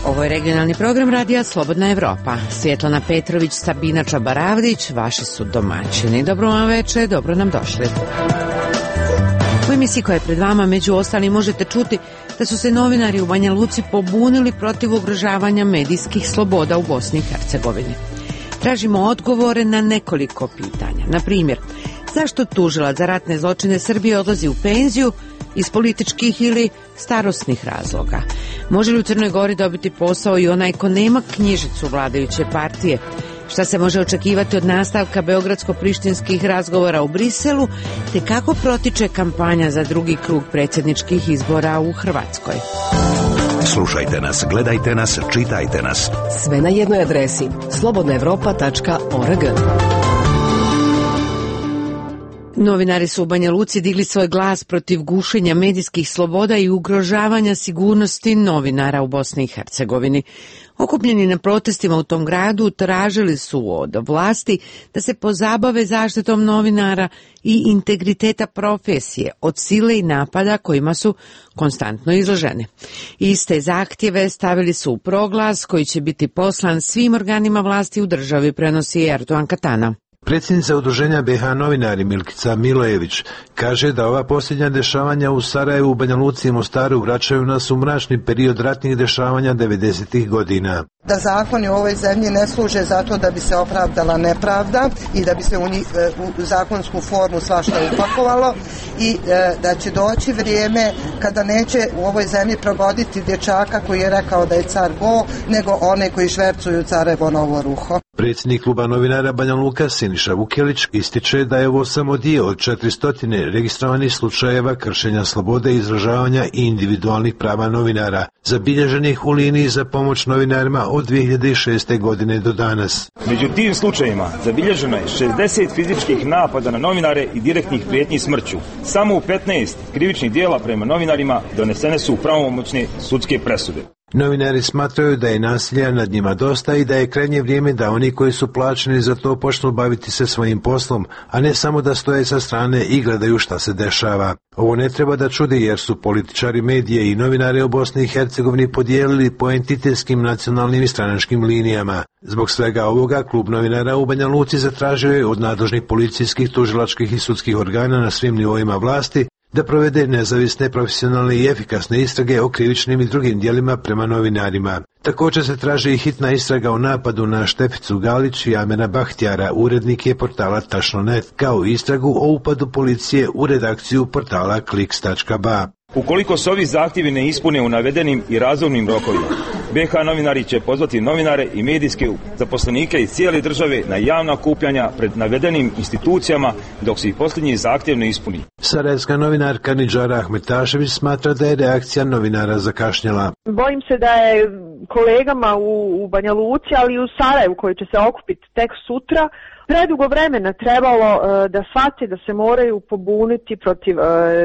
Ovo je regionalni program radija Slobodna Evropa. Svjetlana Petrović, Sabina Čabaravdić, vaši su domaćini. Dobro vam večer, dobro nam došli. U emisiji koja je pred vama, među ostalim, možete čuti da su se novinari u Banja Luci pobunili protiv ugrožavanja medijskih sloboda u Bosni i Hercegovini. Tražimo odgovore na nekoliko pitanja. Na primjer, zašto tužilac za ratne zločine Srbije odlazi u penziju iz političkih ili starosnih razloga? Može li u Crnoj Gori dobiti posao i onaj ko nema knjižicu vladajuće partije? Šta se može očekivati od nastavka beogradsko-prištinskih razgovora u Briselu, te kako protiče kampanja za drugi krug predsjedničkih izbora u Hrvatskoj? Slušajte nas, gledajte nas, čitajte nas. Sve na jednoj adresi slobodnaevropa.org. Novinari su u Banja Luci digli svoj glas protiv gušenja medijskih sloboda i ugrožavanja sigurnosti novinara u Bosni i Hercegovini. Okupljeni na protestima u tom gradu tražili su od vlasti da se pozabave zaštitom novinara i integriteta profesije od sile i napada kojima su konstantno izloženi. Iste zahtjeve stavili su u proglas koji će biti poslan svim organima vlasti u državi, prenosi Erdogan Katana. Predsjednica udruženja BiH novinari Milkica Milojević kaže da ova posljednja dešavanja u Sarajevu, Banja Luci i Mostaru vraćaju nas u mračni period ratnih dešavanja 90-ih godina. Da zakoni u ovoj zemlji ne služe zato da bi se opravdala nepravda i da bi se u zakonsku formu svašta upakovalo i da će doći vrijeme kada neće u ovoj zemlji provoditi dječaka koji je rekao da je car go, nego one koji švercuju carevo novo ruho. Predsjednik kluba novinara Banja Luka Siniša Vukelić ističe da je ovo samo dio od 400 registrovanih slučajeva kršenja slobode izražavanja i individualnih prava novinara, zabilježenih u liniji za pomoć novinarima od 2006. godine do danas. Među tim slučajevima zabilježeno je 60 fizičkih napada na novinare i direktnih prijetnji smrću. Samo u 15 krivičnih dijela prema novinarima donesene su pravomoćne sudske presude. Novinari smatraju da je nasilja nad njima dosta i da je krajnje vrijeme da oni koji su plaćeni za to počnu baviti se svojim poslom, a ne samo da stoje sa strane i gledaju šta se dešava. Ovo ne treba da čudi jer su političari, medije i novinare u Bosni i Hercegovini podijelili po entitetskim, nacionalnim i stranačkim linijama. Zbog svega ovoga, klub novinara u Banja Luci zatražio je od nadležnih policijskih, tužilačkih i sudskih organa na svim nivoima vlasti da provede nezavisne, profesionalne i efikasne istrage o krivičnim i drugim djelima prema novinarima. Također se traži i hitna istraga o napadu na Šteficu Galić i Amena Bahtjara, urednike portala Tačno.net, kao i istragu o upadu policije u redakciju portala Kliks.ba. Ukoliko se ovi zahtjevi ne ispune u navedenim i razumnim rokovima, BiH novinari će pozvati novinare i medijske zaposlenike iz cijele države na javna okupljanja pred navedenim institucijama dok se i posljednji zahtjev ne ispuni. Sarajevska novinarka Nidžara Ahmetašević smatra da je reakcija novinara zakašnjela. Bojim se da je kolegama u Banja Luci, ali i u Sarajevu koji će se okupiti tek sutra, predugo vremena trebalo da shvate da se moraju pobuniti protiv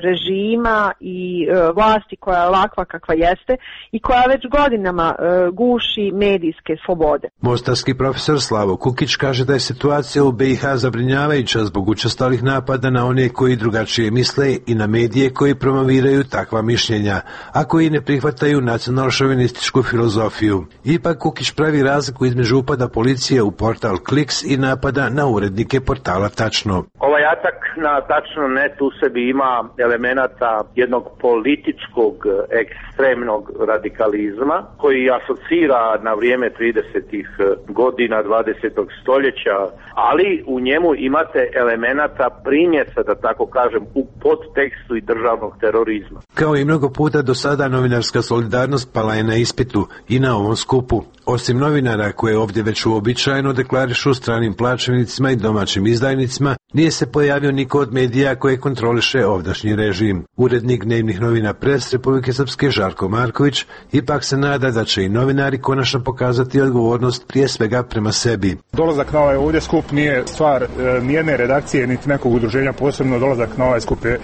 režima i vlasti koja je ovakva kakva jeste i koja već godinama guši medijske slobode. Mostarski profesor Slavo Kukić kaže da je situacija u BiH zabrinjavajuća zbog učestalih napada na one koji drugačije misle i na medije koji promoviraju takva mišljenja, a koji ne prihvataju nacionalšovinističku filozofiju. Ipak Kukić pravi razliku između upada policije u portal Kliks i napada na urednike portala Tačno. Ovaj atak na Tačno.net u sebi ima elemenata jednog političkog ekstremnog radikalizma koji asocira na vrijeme 30-ih godina 20. stoljeća, ali u njemu imate elemenata primjesa, da tako kažem, u podtekstu i državnog terorizma. Kao i mnogo puta do sada, novinarska solidarnost pala je na ispitu i na ovom skupu. Osim novinara koje ovdje već uobičajeno deklarišu stranim plaćenicima i domaćim izdajnicima, nije se pojavio niko od medija koje kontroliše ovdašnji režim. Urednik dnevnih novina Pres Republike Srpske Žarko Marković ipak se nada da će i novinari konačno pokazati odgovornost prije svega prema sebi. Dolazak na ovaj ovdje skup nije stvar nijedne redakcije niti nekog udruženja, posebno dolazak na ovaj skup je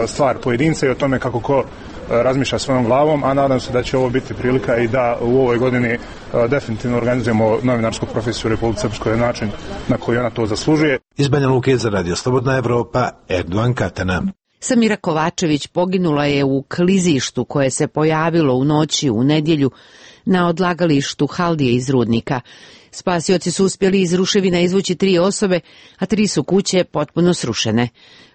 stvar pojedinca i o tome kako ko razmišlja svojom glavom, a nadam se da će ovo biti prilika i da u ovoj godini definitivno organizujemo novinarsku profesiju u Republike Srpskoj na način na koji ona to zaslužuje. Iz Banja Luke za Radio Slobodna Evropa, Erdogan Katana. Samira Kovačević poginula je u klizištu koje se pojavilo u noći u nedjelju na odlagalištu haldije iz rudnika. Spasioci su uspjeli iz ruševina izvući 3 osobe, a 3 su kuće potpuno srušene.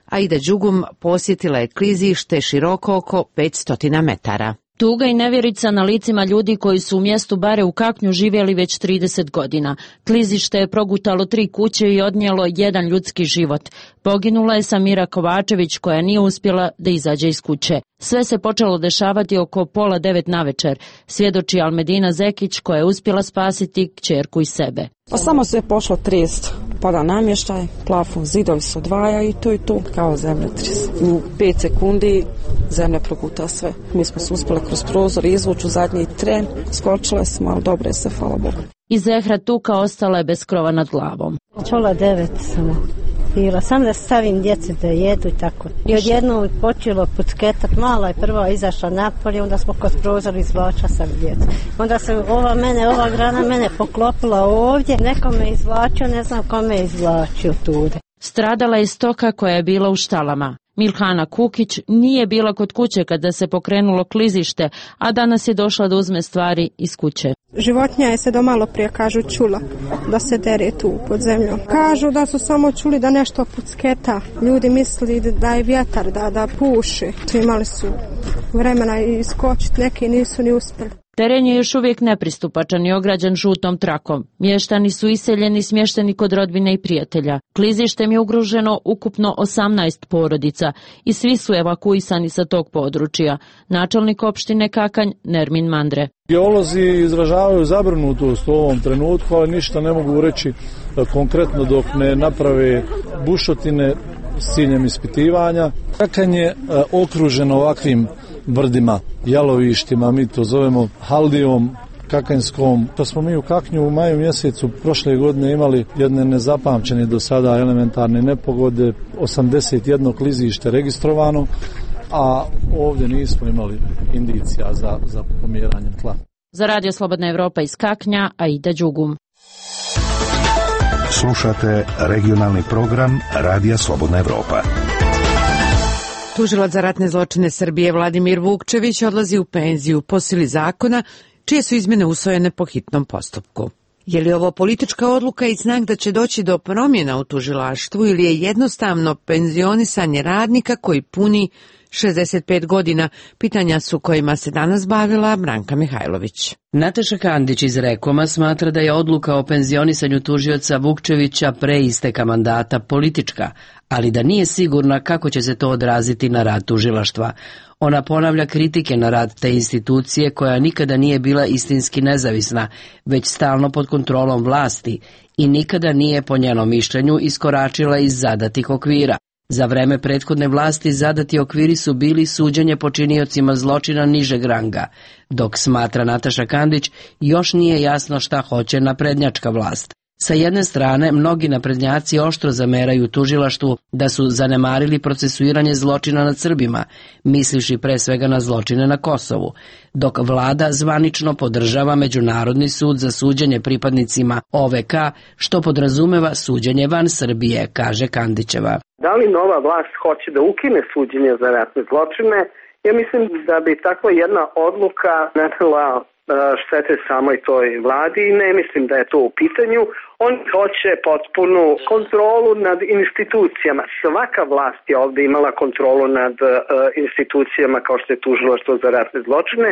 Aida Đugum posjetila je klizište široko oko 500 metara. Tuga i nevjerica na licima ljudi koji su u mjestu Bare u Kaknju živjeli već 30 godina. Klizište je progutalo 3 kuće i odnijelo 1 ljudski život. Poginula je Samira Kovačević koja nije uspjela da izađe iz kuće. Sve se počelo dešavati oko 8:30 navečer, svjedoči Almedina Zekić koja je uspjela spasiti kćerku i sebe. Pa samo se je pošlo trest, pada namještaj, plafon, zidovi se odvaja i to kao zemljotres. U 5 sekundi zemlja proguta sve. Mi smo se uspjeli kroz prozor izvući u zadnji tren, skočile smo, ali dobro je se, hvala Bogu. I Zehra Tuka ostala je bez krova nad glavom. Čola 9 samo bila, sam da stavim djeci da jedu i tako. I odjednom počelo pucketat, mala je prva izašla napolje, onda smo kod prozora izvlača sam djecu. Onda se ova grana mene poklopila ovdje, neko me izvlačio, ne znam kome je izvlačio tude. Stradala je stoka koja je bila u štalama. Milhana Kukić nije bila kod kuće kada se pokrenulo klizište, a danas je došla da uzme stvari iz kuće. Životinja je se do malo prije, kažu, čula da se dere tu pod zemljom. Kažu da su samo čuli da nešto pucketa. Ljudi mislili da je vjetar, da puši. Imali su vremena iskočiti, neki nisu ni uspjeli. Teren je još uvijek nepristupačan i ograđen žutom trakom. Mještani su iseljeni i smješteni kod rodbine i prijatelja. Klizištem je ugroženo ukupno 18 porodica i svi su evakuisani sa tog područja. Načelnik opštine Kakanj Nermin Mandre. Geolozi izražavaju zabrinutost u ovom trenutku, ali ništa ne mogu reći konkretno dok ne naprave bušotine s ciljem ispitivanja. Kakanj je okružen ovakvim brdima, jalovištima, mi to zovemo haldijom kakanjskom. To smo mi u Kaknju u maju mjesecu prošle godine imali jedne nezapamćene do sada elementarne nepogode, 81 klizište registrovano, a ovdje nismo imali indicija za pomjeranjem tla. Za Radio Slobodna Evropa iz Kaknja, Aida Đugum. Slušate regionalni program Radija Slobodna Evropa. Tužilac za ratne zločine Srbije Vladimir Vukčević odlazi u penziju po sili zakona, čije su izmjene usvojene po hitnom postupku. Je li ovo politička odluka i znak da će doći do promjena u tužilaštvu ili je jednostavno penzionisanje radnika koji puni 65 godina? Pitanja su kojima se danas bavila Branka Mihajlović. Nataša Kandić iz Rekoma smatra da je odluka o penzionisanju tužioca Vukčevića pre isteka mandata politička, ali da nije sigurna kako će se to odraziti na rad tužilaštva. Ona ponavlja kritike na rad te institucije koja nikada nije bila istinski nezavisna, već stalno pod kontrolom vlasti i nikada nije po njenom mišljenju iskoračila iz zadatih okvira. Za vreme prethodne vlasti zadati okviri su bili suđenje počiniocima zločina nižeg ranga, dok, smatra Nataša Kandić, još nije jasno šta hoće naprednjačka vlast. Sa jedne strane, mnogi naprednjaci oštro zameraju tužilaštvu da su zanemarili procesuiranje zločina nad Srbima, misliši pre svega na zločine na Kosovu, dok vlada zvanično podržava Međunarodni sud za suđenje pripadnicima OVK, što podrazumeva suđenje van Srbije, kaže Kandićeva. Da li nova vlast hoće da ukine suđenje za ratne zločine? Ja mislim da bi takva jedna odluka nanela štete samoj toj vladi i ne mislim da je to u pitanju. On hoće potpunu kontrolu nad institucijama. Svaka vlast je ovdje imala kontrolu nad institucijama kao što je tužilaštvo za ratne zločine,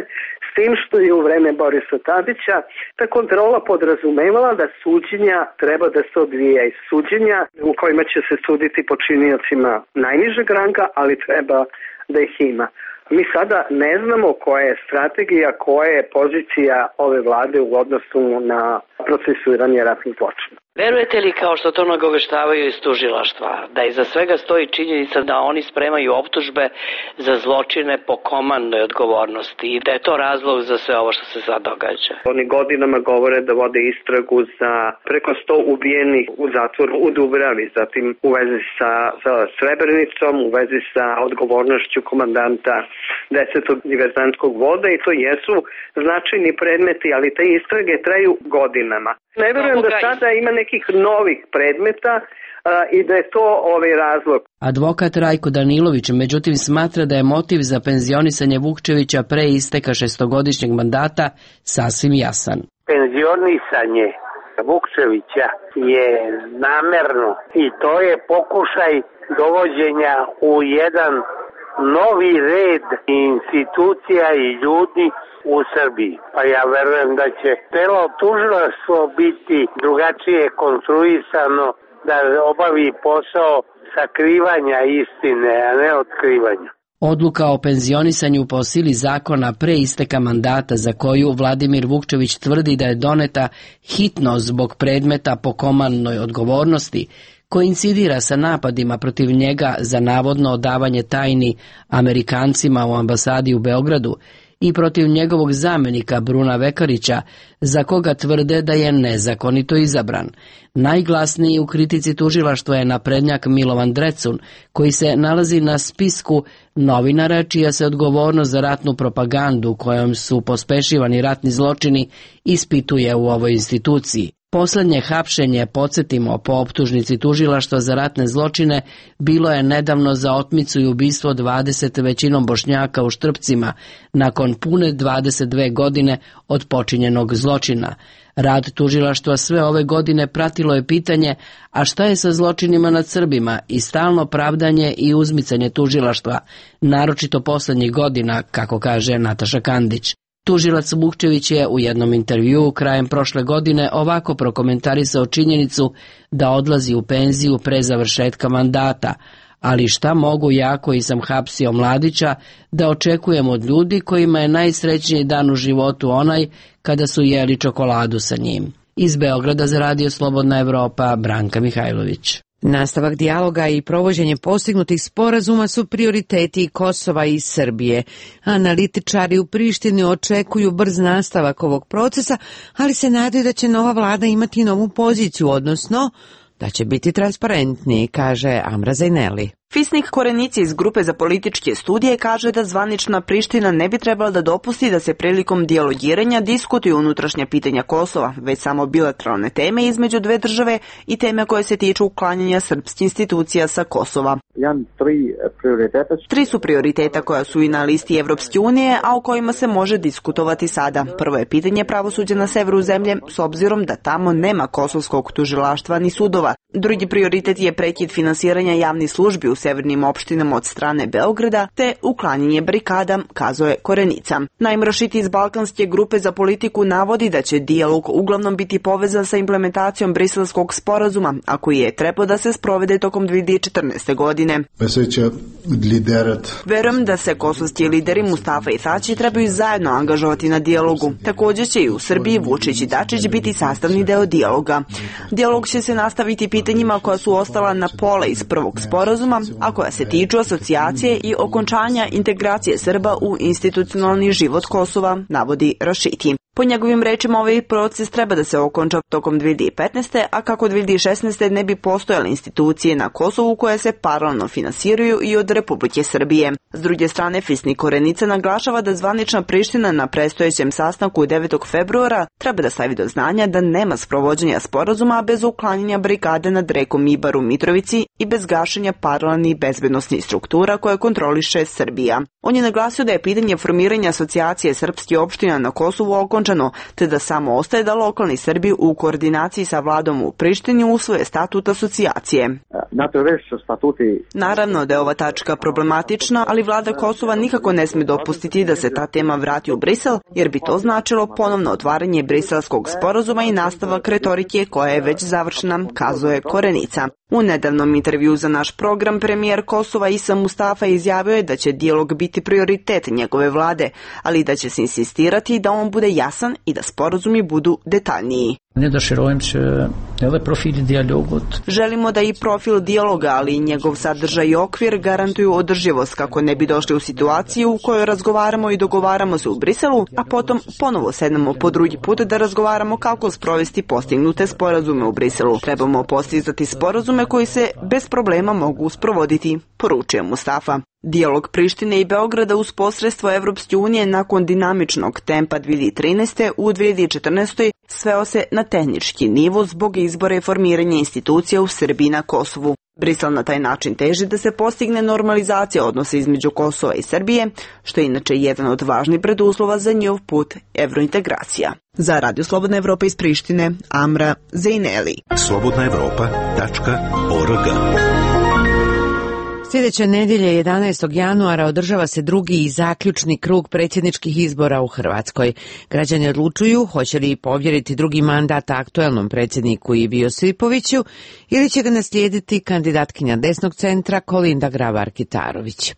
s tim što je u vreme Borisa Tadića ta kontrola podrazumevala da suđenja treba da se odvija iz suđenja u kojima će se suditi počiniocima najnižeg ranga, ali treba da ih ima. Mi sada ne znamo koja je strategija, koja je pozicija ove vlade u odnosu na procesuiranje ratnih zločina. Verujete li, kao što to nagoveštavaju iz tužilaštva, da iza svega stoji činjenica da oni spremaju optužbe za zločine po komandnoj odgovornosti i da je to razlog za sve ovo što se sad događa? Oni godinama govore da vode istragu za preko 100 ubijenih u zatvoru u Dubravi, zatim u vezi sa Srebrenicom, u vezi sa odgovornošću komandanta 10. diverzantskog voda i to jesu značajni predmeti, ali te istrage traju godinama. Ne vjerujem da sada ima nekih novih predmeta i da je to razlog. Advokat Rajko Danilović međutim smatra da je motiv za penzionisanje Vukčevića pre isteka 6-godišnjeg mandata sasvim jasan. Penzionisanje Vukčevića je namerno i to je pokušaj dovođenja u jedan novi red institucija i ljudi u Srbiji. Pa ja verujem da će celo tužilaštvo biti drugačije konstruisano da obavi posao sakrivanja istine, a ne otkrivanja. Odluka o penzionisanju po sili zakona pre isteka mandata za koju Vladimir Vukčević tvrdi da je doneta hitno zbog predmeta po komandnoj odgovornosti, koincidira sa napadima protiv njega za navodno odavanje tajni Amerikancima u ambasadi u Beogradu i protiv njegovog zamenika Bruna Vekarića, za koga tvrde da je nezakonito izabran. Najglasniji u kritici tužilaštva je naprednjak Milovan Drecun, koji se nalazi na spisku novinara čija se odgovornost za ratnu propagandu kojom su pospešivani ratni zločini ispituje u ovoj instituciji. Poslednje hapšenje, podsjetimo, po optužnici tužilaštva za ratne zločine bilo je nedavno za otmicu i ubistvo 20 većinom Bošnjaka u Štrpcima nakon pune 22 godine od počinjenog zločina. Rad tužilaštva sve ove godine pratilo je pitanje a šta je sa zločinima nad Srbima i stalno pravdanje i uzmicanje tužilaštva, naročito poslednjih godina, kako kaže Nataša Kandić. Tužilac Vukčević je u jednom intervjuu krajem prošle godine ovako prokomentarisao činjenicu da odlazi u penziju pre završetka mandata, ali šta mogu ja koji sam hapsio Mladića da očekujem od ljudi kojima je najsrećniji dan u životu onaj kada su jeli čokoladu sa njim. Iz Beograda za Radio Slobodna Evropa, Branka Mihajlović. Nastavak dijaloga i provođenje postignutih sporazuma su prioriteti Kosova i Srbije. Analitičari u Prištini očekuju brz nastavak ovog procesa, ali se nadaju da će nova vlada imati novu poziciju, odnosno da će biti transparentniji, kaže Amra Zajneli. Fisnik Korenici iz grupe za političke studije kaže da zvanična Priština ne bi trebala da dopusti da se prilikom dijalogiranja diskutuju unutrašnja pitanja Kosova, već samo bilateralne teme između dve države i teme koje se tiču uklanjanja srpskih institucija sa Kosova. Tri su prioriteta koja su i na listi Evropske unije, a o kojima se može diskutovati sada. Prvo je pitanje pravosuđa na severu zemlje, s obzirom da tamo nema kosovskog tužilaštva ni sudova. Drugi prioritet je prekid finansiranja javnih službi u severnim opštinama od strane Beograda, te uklanjanje barikada, kazuje Korenica. Naim Rašiti iz Balkanske grupe za politiku navodi da će dijalog uglavnom biti povezan sa implementacijom Briselskog sporazuma, a koji je trebao da se sprovede tokom 2014. godine. Verujem da se kosovski lideri Mustafa i Tači trebaju zajedno angažovati na dijalogu. Također će i u Srbiji Vučić i Dačić biti sastavni deo dijaloga. Dijalog će se nastaviti pitanjima koja su ostala na pola iz prvog sporazuma, a koja se tiču asocijacije i okončanja integracije Srba u institucionalni život Kosova, navodi Rašiti. Po njegovim rečima, ovaj proces treba da se okonča tokom 2015. a kako 2016. ne bi postojale institucije na Kosovu koje se paralelno finansiraju i od Republike Srbije. S druge strane, Fisnik Korenica naglašava da zvanična Priština na predstojećem sastanku 9. februara treba da stavi do znanja da nema sprovođenja sporazuma bez uklanjanja barikade nad rekom Ibar u Mitrovici i bez gašenja paralelnih bezbednosnih struktura koje kontroliše Srbija. On je naglasio da je pitanje formiranja asocijacije srpskih opština na Kosovu okončano, te da samo ostaje da lokalni Srbi u koordinaciji sa vladom u Prištini usvoje statut asocijacije. Naravno da je ova tačka problematična, ali vlada Kosova nikako ne sme dopustiti da se ta tema vrati u Brisel, jer bi to značilo ponovno otvaranje briselskog sporazuma i nastavak retorike koja je već završena, kazuje Korenica. U nedavnom intervju za naš program premijer Kosova Isa Mustafa izjavio je da će dijalog biti prioritet njegove vlade, ali da će se insistirati da on bude jasan i da sporazumi budu detaljniji. Želimo da i profil dijaloga, ali i njegov sadržaj i okvir garantuju održivost kako ne bi došli u situaciju u kojoj razgovaramo i dogovaramo se u Briselu, a potom ponovo sednemo po drugi put da razgovaramo kako sprovesti postignute sporazume u Briselu. Trebamo postizati sporazume koji se bez problema mogu sprovoditi, poručuje Mustafa. Dijalog Prištine i Beograda uz posredstvo Evropske unije nakon dinamičnog tempa 2013. u 2014. sveo se na tehnički nivo zbog izbora i formiranja institucija u Srbiji na Kosovu. Brisel na taj način teži da se postigne normalizacija odnosa između Kosova i Srbije, što je inače jedan od važnih preduslova za njihov put evrointegracija. Za Radio Slobodna Evropa iz Prištine, Amra Zejneli. slobodnaevropa.org. Sljedeće nedjelje 11. januara održava se drugi i zaključni krug predsjedničkih izbora u Hrvatskoj. Građani odlučuju hoće li povjeriti drugi mandat aktuelnom predsjedniku Ivi Josipoviću ili će ga naslijediti kandidatkinja desnog centra Kolinda Grabar-Kitarović.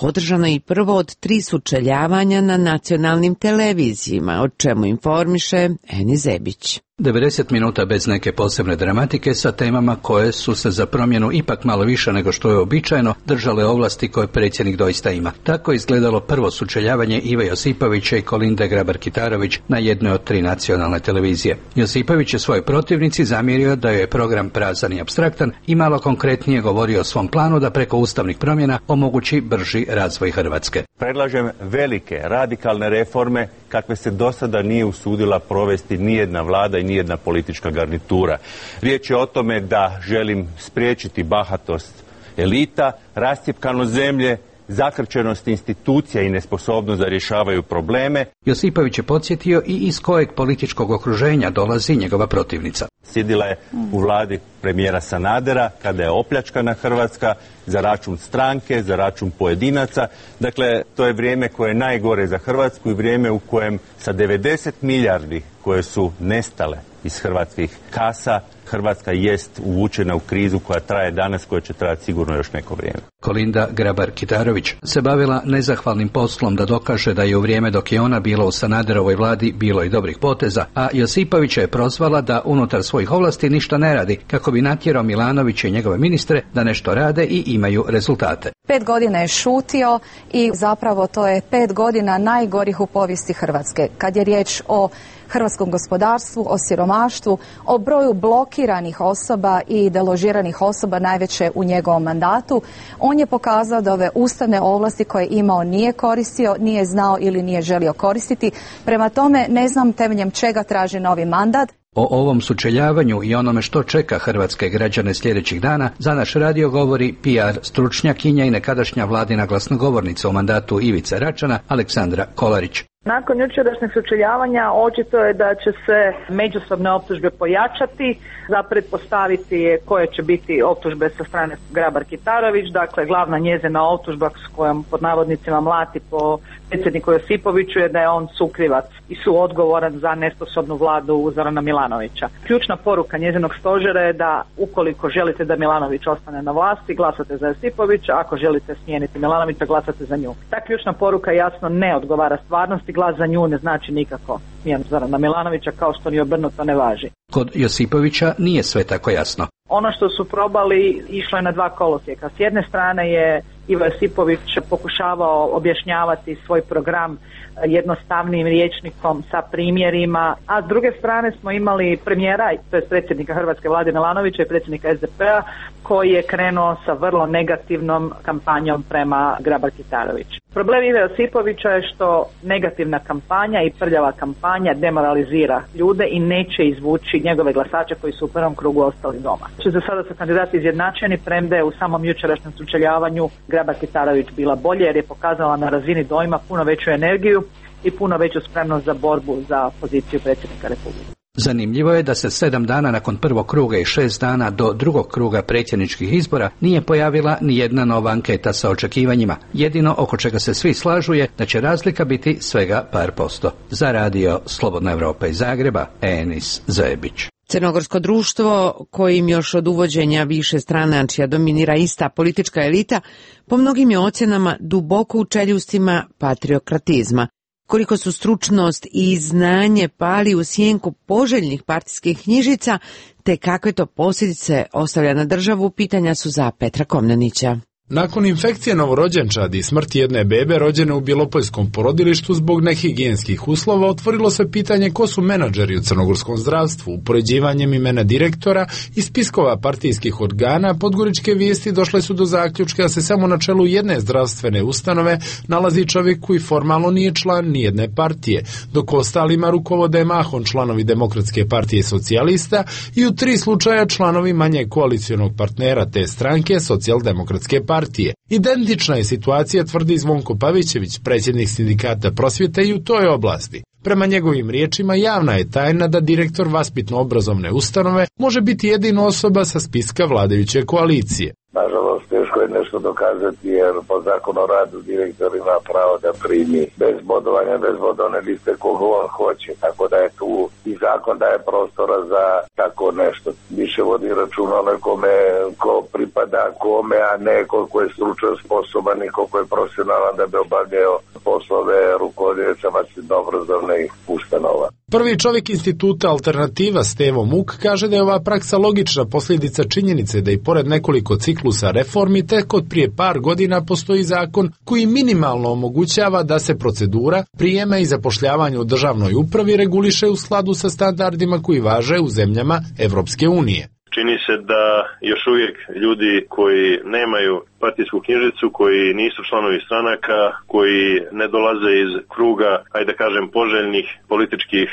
Održano je i prvo od 3 sučeljavanja na nacionalnim televizijima, o čemu informiše Eni Zebić. 90 minuta bez neke posebne dramatike sa temama koje su se za promjenu ipak malo više nego što je običajno držale ovlasti koje predsjednik doista ima. Tako je izgledalo prvo sučeljavanje Ive Josipovića i Kolinde Grabar-Kitarović na jednoj od 3 nacionalne televizije. Josipović je svojoj protivnici zamjerio da je program prazan i apstraktan i malo konkretnije govorio o svom planu da preko ustavnih promjena omogući brži razvoj Hrvatske. Predlažem velike, radikalne reforme kakve se do sada nije usudila provesti nijedna vlada i nijedna politička garnitura. Riječ je o tome da želim spriječiti bahatost elita, rascjepkanost zemlje, zakrčenost institucija i nesposobnost da rješavaju probleme. Josipović je podsjetio i iz kojeg političkog okruženja dolazi njegova protivnica. Sjedila je u vladi premijera Sanadera kada je opljačkana Hrvatska za račun stranke, za račun pojedinaca. Dakle, to je vrijeme koje je najgore za Hrvatsku i vrijeme u kojem sa 90 milijardi koje su nestale iz hrvatskih kasa, Hrvatska jest uvučena u krizu koja traje danas, koja će trajati sigurno još neko vrijeme. Kolinda Grabar-Kitarović se bavila nezahvalnim poslom da dokaže da je u vrijeme dok je ona bila u Sanaderovoj vladi bilo i dobrih poteza, a Josipovića je prozvala da unutar svojih ovlasti ništa ne radi, kako bi natjerao Milanovića i njegove ministre da nešto rade i imaju rezultate. 5 godina je šutio i zapravo to je 5 godina najgorih u povijesti Hrvatske. Kad je riječ o hrvatskom gospodarstvu, o siromaštvu, o broju blokiranih osoba i deložiranih osoba najveće u njegovom mandatu, on je pokazao da ove ustavne ovlasti koje je imao nije koristio, nije znao ili nije želio koristiti. Prema tome ne znam temeljem čega traži novi mandat. O ovom sučeljavanju i onome što čeka hrvatske građane sljedećih dana za naš radio govori PR stručnjakinja i nekadašnja vladina glasnogovornica u mandatu Ivice Račana, Aleksandra Kolarić. Nakon jučerašnjeg sučeljavanja očito je da će se međusobne optužbe pojačati, za pretpostaviti koje će biti optužbe sa strane Grabar-Kitarović, dakle glavna njezina optužba s kojom pod navodnicima mlati po predsjedniku Josipoviću je da je on sukrivac i suodgovoran za nesposobnu vladu Zorana Milanovića. Ključna poruka njezinog stožera je da ukoliko želite da Milanović ostane na vlasti, glasate za Josipovića, ako želite smijeniti Milanovića, glasate za nju. Ta ključna poruka jasno ne odgovara stvarnosti, glas za nju ne znači nikako smjenu Zorana Milanovića, kao što ni obrnuto ne važi. Kod Josipovića nije sve tako jasno. Ono što su probali išlo je na 2 kolosijeka. S jedne strane je Ivo Josipović pokušavao objašnjavati svoj program jednostavnim rječnikom sa primjerima, a s druge strane smo imali premijera, to je predsjednika Hrvatske vlade Milanovića i predsjednika SDP-a, koji je krenuo sa vrlo negativnom kampanjom prema Grabar-Kitarović. Problem Ive Josipovića je što negativna kampanja i prljava kampanja demoralizira ljude i neće izvući njegove glasače koji su u prvom krugu ostali doma. Za sada su kandidati izjednačeni, premda je u samom jučerašnjem sučeljavanju Grabar-Kitarović bila bolje jer je pokazala na razini dojma puno veću energiju i puno veću spremnost za borbu za poziciju predsjednika Republike. Zanimljivo je da se 7 dana nakon prvog kruga i 6 dana do drugog kruga predsjedničkih izbora nije pojavila ni jedna nova anketa sa očekivanjima. Jedino oko čega se svi slažu je da će razlika biti svega par posto. Za radio Slobodna Evropa iz Zagreba, Enis Zebić. Crnogorsko društvo, kojim još od uvođenja više stranačja dominira ista politička elita, po mnogim je ocjenama duboko u čeljustima patriokratizma. Koliko su stručnost i znanje pali u sjenku poželjnih partijskih knjižica, te kakve to posljedice ostavlja na državu, pitanja su za Petra Komnenića. Nakon infekcije novorođenčadi i smrti jedne bebe rođene u bjelopoljskom porodilištu zbog nehigijenskih uslova, otvorilo se pitanje ko su menadžeri u crnogorskom zdravstvu. Upoređivanjem imena direktora i spiskova partijskih organa, podgoričke vijesti došle su do zaključka da se samo na čelu jedne zdravstvene ustanove nalazi čovjek koji formalno nije član nijedne partije, dok ostalima rukovode mahom članovi Demokratske partije i socijalista i u 3 slučaja članovi manje koalicionog partnera te stranke, Socijaldemokratske partije. Identična je situacija, tvrdi Zvonko Pavićević, predsjednik sindikata prosvjete i u toj oblasti. Prema njegovim riječima, javna je tajna da direktor vaspitno-obrazovne ustanove može biti jedina osoba sa spiska vladajuće koalicije. Nažalost, teško je nešto dokazati jer po zakonu o radu direktor ima pravo da primi bez bodovanja, bez bodovne liste koga on hoće. Tako da je tu i zakon daje prostora za tako nešto. Više vodi računa o nekome ko pripada kome, a ne koliko je stručno sposoban i koliko je profesionalan da bi obavljao poslove rukovodioca vaspitno-obrazovnih ustanova. Prvi čovjek instituta Alternativa Stevo Muk kaže da je ova praksa logična posljedica činjenice da i pored nekoliko ciklusa reformi tek od prije par godina postoji zakon koji minimalno omogućava da se procedura prijema i zapošljavanja u državnoj upravi reguliše u skladu sa standardima koji važe u zemljama Evropske unije. Čini se da još uvijek ljudi koji nemaju partijsku knjižicu, koji nisu članovi stranaka, koji ne dolaze iz kruga, ajde da kažem, poželjnih političkih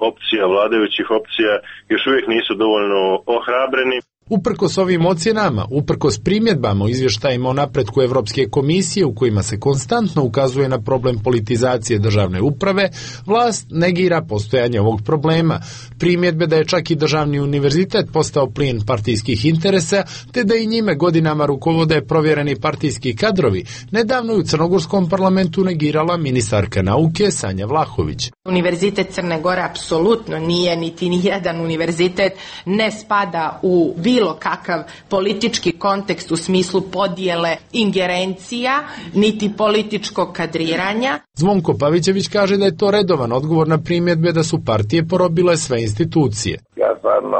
opcija, vladajućih opcija, još uvijek nisu dovoljno ohrabreni. Uprkos ovim ocjenama, uprkos primjedbama o izvještajima o napretku Evropske komisije u kojima se konstantno ukazuje na problem politizacije državne uprave, vlast negira postojanje ovog problema. Primjedbe da je čak i državni univerzitet postao plijen partijskih interesa, te da i njime godinama rukovode provjereni partijski kadrovi, nedavno je u crnogorskom parlamentu negirala ministarka nauke Sanja Vlahović. Univerzitet Crne Gore apsolutno nije, niti nijedan univerzitet ne spada u bilo kakav politički kontekst u smislu podjele ingerencija, niti političkog kadriranja. Zvonko Pavićević kaže da je to redovan odgovor na primjedbe da su partije porobile sve institucije. Ja stvarno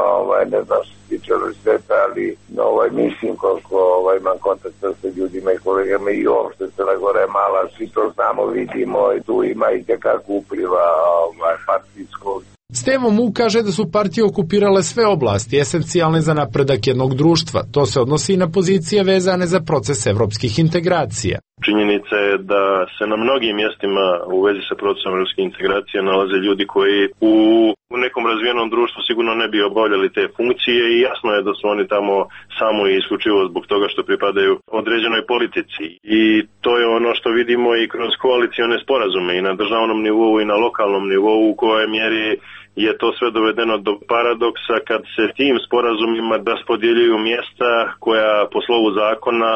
ne znam što se tiče univerziteta, ali mislim koliko imam kontakta sa ljudima i kolegama i uopšte Crna Gora je mala, svi to znamo, vidimo i tu ima i kako upliva partijskog. Stevo Mu kaže da su partije okupirale sve oblasti esencijalne za napredak jednog društva. To se odnosi i na pozicije vezane za proces evropskih integracija. Činjenica je da se na mnogim mjestima u vezi sa procesom evropske integracije nalaze ljudi koji u nekom razvijenom društvu sigurno ne bi obavljali te funkcije i jasno je da su oni tamo samo i isključivo zbog toga što pripadaju određenoj politici. I to je ono što vidimo i kroz koalicione sporazume i na državnom nivou i na lokalnom nivou u kojoj mjeri je to sve dovedeno do paradoksa kad se tim sporazumima raspodjeljuju mjesta koja po slovu zakona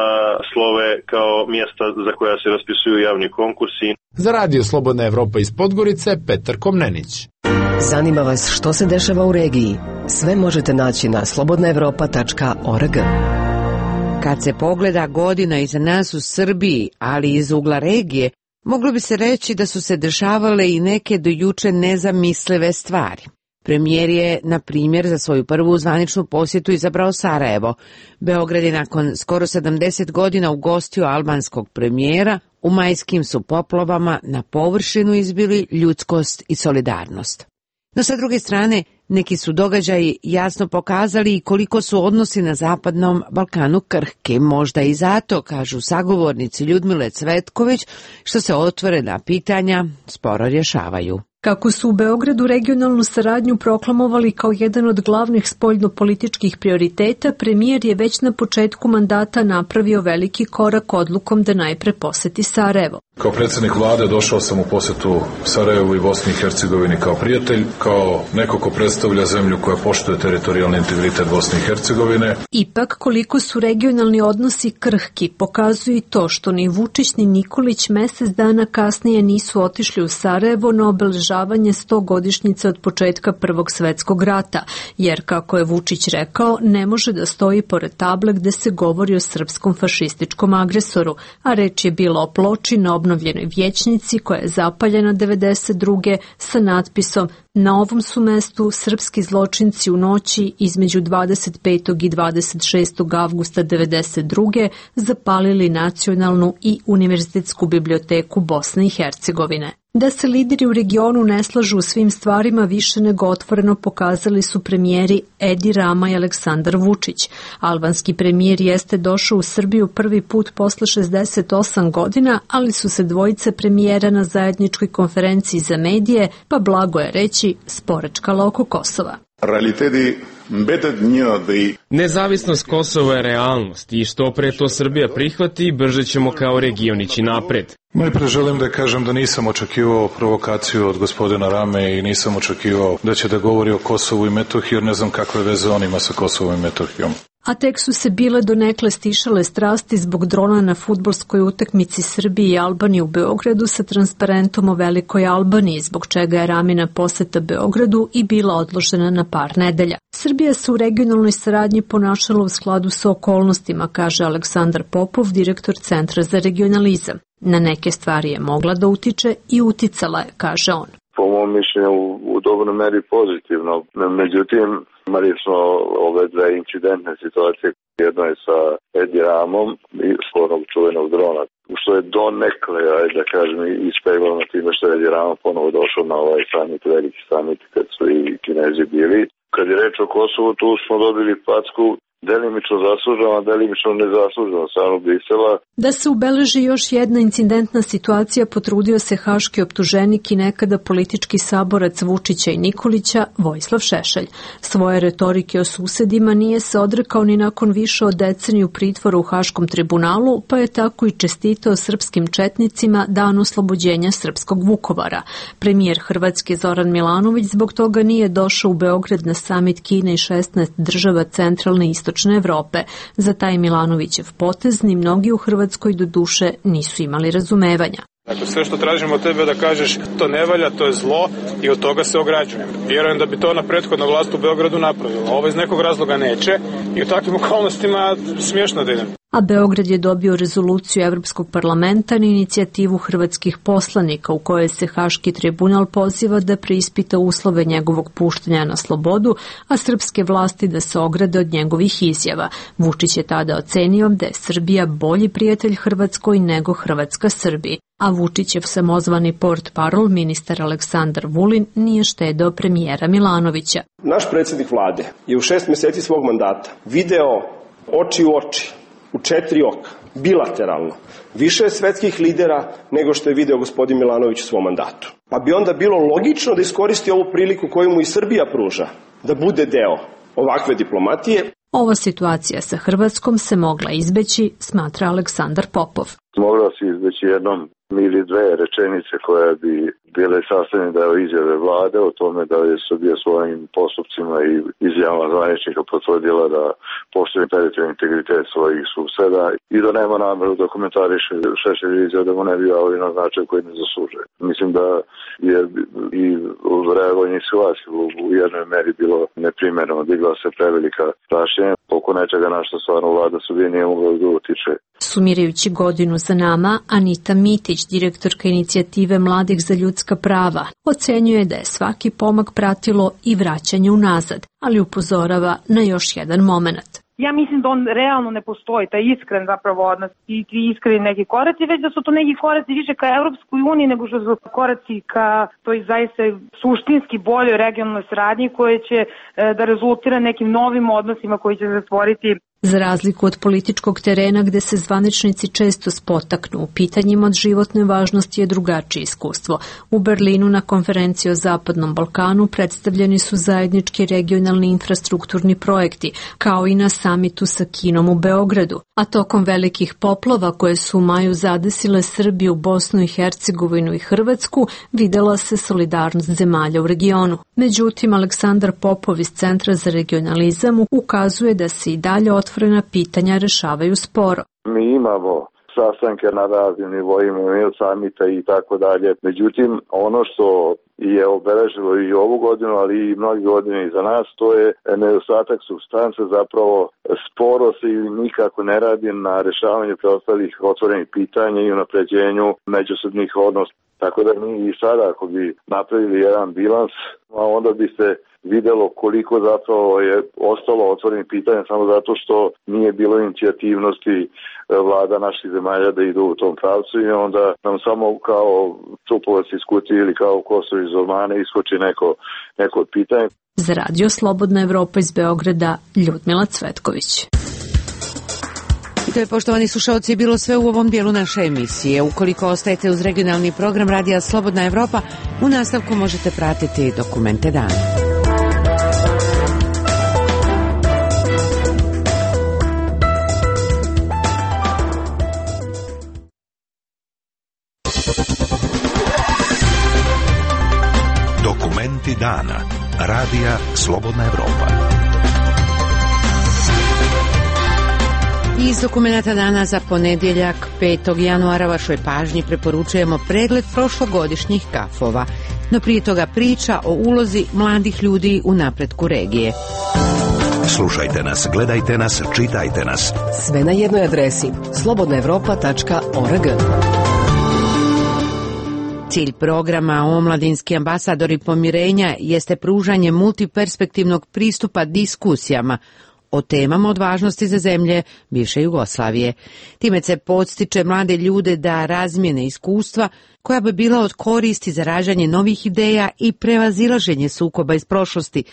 slove kao mjesta za koja se raspisuju javni konkursi. Za Radio Slobodna Evropa iz Podgorice, Petar Komnenić. Zanima vas što se dešava u regiji? Sve možete naći na slobodnaevropa.org. Kad se pogleda godina iza nas u Srbiji, ali iz ugla regije, moglo bi se reći da su se dešavale i neke do juče nezamislive stvari. Premijer je, na primjer, za svoju prvu zvaničnu posjetu izabrao Sarajevo. Beograd je nakon skoro 70 godina ugostio albanskog premijera, u majskim su poplavama na površinu izbili ljudskost i solidarnost. No sa druge strane, neki su događaji jasno pokazali i koliko su odnosi na Zapadnom Balkanu krhki, možda i zato, kažu sagovornici Ljudmile Cvetković, što se otvorena pitanja sporo rješavaju. Kako su u Beogradu regionalnu saradnju proklamovali kao jedan od glavnih spoljnopolitičkih prioriteta, premijer je već na početku mandata napravio veliki korak odlukom da najpre poseti Sarajevo. Kao predsjednik vlade došao sam u posjetu Sarajevu i Bosni i Hercegovini kao prijatelj, kao neko ko predstavlja zemlju koja poštuje teritorijalni integritet Bosne i Hercegovine. Ipak, koliko su regionalni odnosi krhki, pokazuje i to što ni Vučić ni Nikolić mjesec dana kasnije nisu otišli u Sarajevo na obeležavanje obeležavanje 100-godišnjice od početka Prvog svetskog rata, jer, kako je Vučić rekao, ne može da stoji pored table gde se govori o srpskom fašističkom agresoru, a reč je bila o ploči na obnovljenoj vijećnici koja je zapaljena 92. sa natpisom "Na ovom su mestu srpski zločinci u noći između 25. i 26. avgusta 92. zapalili Nacionalnu i Univerzitetsku biblioteku Bosne i Hercegovine." Da se lideri u regionu ne slažu u svim stvarima više nego otvoreno pokazali su premijeri Edi Rama i Aleksandar Vučić. Albanski premijer jeste došao u Srbiju prvi put posle 68 godina, ali su se dvojice premijera na zajedničkoj konferenciji za medije, pa blago je reći, sporečkala oko Kosova. Nezavisnost Kosova je realnost i što pre to Srbija prihvati, brže ćemo kao region ići napred. Najpre želim da kažem da nisam očekivao provokaciju od gospodina Rame i nisam očekivao da će da govori o Kosovu i Metohiji, jer ne znam kakve veze on ima sa Kosovom i Metohijom. A tek su se bile donekle stišale strasti zbog drona na fudbalskoj utakmici Srbije i Albanije u Beogradu sa transparentom o Velikoj Albaniji, zbog čega je Ramina poseta Beogradu i bila odložena na par nedelja. Srbija se u regionalnoj saradnji ponašala u skladu sa okolnostima, kaže Aleksandar Popov, direktor Centra za regionalizam. Na neke stvari je mogla da utiče i uticala je, kaže on. Po mom mišljenju u dobroj meri pozitivno. Međutim, imali smo ove dve incidentne situacije. Jedno je sa Edi Ramom i sklonog čuvenog drona, što je donekle, da kažem, ispeglano time što je Edi Rama ponovo došao na ovaj summit, veliki summit, kad su i Kinezi bili. Kad je reč o Kosovu, tu smo dobili packu delimično zasluženo, a delimično nezasluženo samo Brisela. Da se ubeleži još jedna incidentna situacija, potrudio se haški optuženik i nekada politički saborac Vučića i Nikolića, Vojislav Šešelj. Svoje retorike o susedima nije se odrekao ni nakon više od deceniju pritvora u Haškom tribunalu, pa je tako i čestitao srpskim četnicima dan oslobođenja srpskog Vukovara. Premijer Hrvatske Zoran Milanović zbog toga nije došao u Beograd na samit Kine i 16 država centralne i istočne Evrope. Za taj Milanovićev potez ni mnogi u Hrvatskoj do duše nisu imali razumevanja. Dakle, sve što tražimo od tebe da kažeš to ne valja, to je zlo i od toga se ograđujem. Vjerujem da bi to ona prethodna vlast u Beogradu napravila. Ovo iz nekog razloga neće i u takvim okolnostima smiješno da idem. A Beograd je dobio rezoluciju Evropskog parlamenta na inicijativu hrvatskih poslanika u kojoj se Haški tribunal poziva da preispita uslove njegovog puštanja na slobodu, a srpske vlasti da se ograde od njegovih izjava. Vučić je tada ocenio da je Srbija bolji prijatelj Hrvatskoj nego Hrvatska Srbiji. A Vučićev samozvani portparol, ministar Aleksandar Vulin, nije štedeo premijera Milanovića. Naš predsjednik vlade je u 6 mjeseci svog mandata video oči u oči, u 4 oka, bilateralno, više svetskih lidera nego što je video gospodin Milanović u svom mandatu. Pa bi onda bilo logično da iskoristi ovu priliku koju mu i Srbija pruža, da bude deo ovakve diplomatije. Ova situacija sa Hrvatskom se mogla izbeći, smatra Aleksandar Popov. Mogla se izbeći jednom ili dve rečenice koje bi bile sastavljene deo izjave vlade o tome da je Srbija svojim postupcima i izjavama zvaničnika potvrdila da poštuje teritorijalni integritet svojih suseda i da nema nameru da komentariše Šešelj izjava da mu ne bi javili na značaj koji ne zaslužuje. Mislim da je i reagovanje situacije u jednoj meri bilo neprimjereno, digla se prevelika prašenja oko nečega na što stvarno vlada Srbije nije mogla da utiče. Sumirajući godinu za nama, Anita Mitić, direktorka inicijative Mladih za ljudska prava, ocenjuje da je svaki pomak pratilo i vraćanje unazad, ali upozorava na još jedan moment. Ja mislim da on realno ne postoji, taj iskren zapravo odnos i iskreni neki koraci, već da su to neki koraci više ka Evropskoj uniji nego što su koraci ka toj zaista suštinski boljoj regionalnoj saradnji koje će da rezultira nekim novim odnosima koji će se stvoriti. Za razliku od političkog terena gde se zvaničnici često spotaknu, u pitanjima od životne važnosti je drugačije iskustvo. U Berlinu na konferenciji o Zapadnom Balkanu predstavljeni su zajednički regionalni infrastrukturni projekti, kao i na samitu sa Kinom u Beogradu. A tokom velikih poplava koje su u maju zadesile Srbiju, Bosnu i Hercegovinu i Hrvatsku, videla se solidarnost zemalja u regionu. Međutim, Aleksandar Popov iz Centra za regionalizam ukazuje da se i dalje otvorena pitanja rešavaju sporo. Mi imamo sastanke na raznim nivoima, imaju samita i tako dalje. Međutim, ono što je obeležilo i ovu godinu, ali i mnogi godine iza nas, to je nedostatak supstance, zapravo sporo se ili nikako ne radi na rešavanju preostalih otvorenih pitanja i unapređenju međusobnih odnosa. Tako da mi i sada, ako bi napravili jedan bilans, onda bi se videlo koliko zapravo je ostalo otvorenih pitanja samo zato što nije bilo inicijativnosti vlada naših zemalja da idu u tom pravcu i onda nam samo kao čupovac iz kutije ili kao Kosovo iz Omane iskoči neko od pitanja. Za radio Slobodna Evropa iz Beograda, Ljudmila Cvetković. I to je, poštovani slušalci, bilo sve u ovom dijelu naše emisije. Ukoliko ostajete uz regionalni program Radija Slobodna Evropa, u nastavku možete pratiti Dokumente dana. Dokumenti dana. Radija Slobodna Evropa. Iz Dokumenta dana za ponedjeljak 5. januara vašoj pažnji preporučujemo pregled prošlogodišnjih kafova. No prije toga priča o ulozi mladih ljudi u napretku regije. Slušajte nas, gledajte nas, čitajte nas. Sve na jednoj adresi slobodnaevropa.org. Cilj programa Omladinski ambasadori pomirenja jeste pružanje multiperspektivnog pristupa diskusijama o temama od važnosti za zemlje bivše Jugoslavije. Time se podstiče mlade ljude da razmijene iskustva koja bi bila od koristi za rađanje novih ideja i prevazilaženje sukoba iz prošlosti,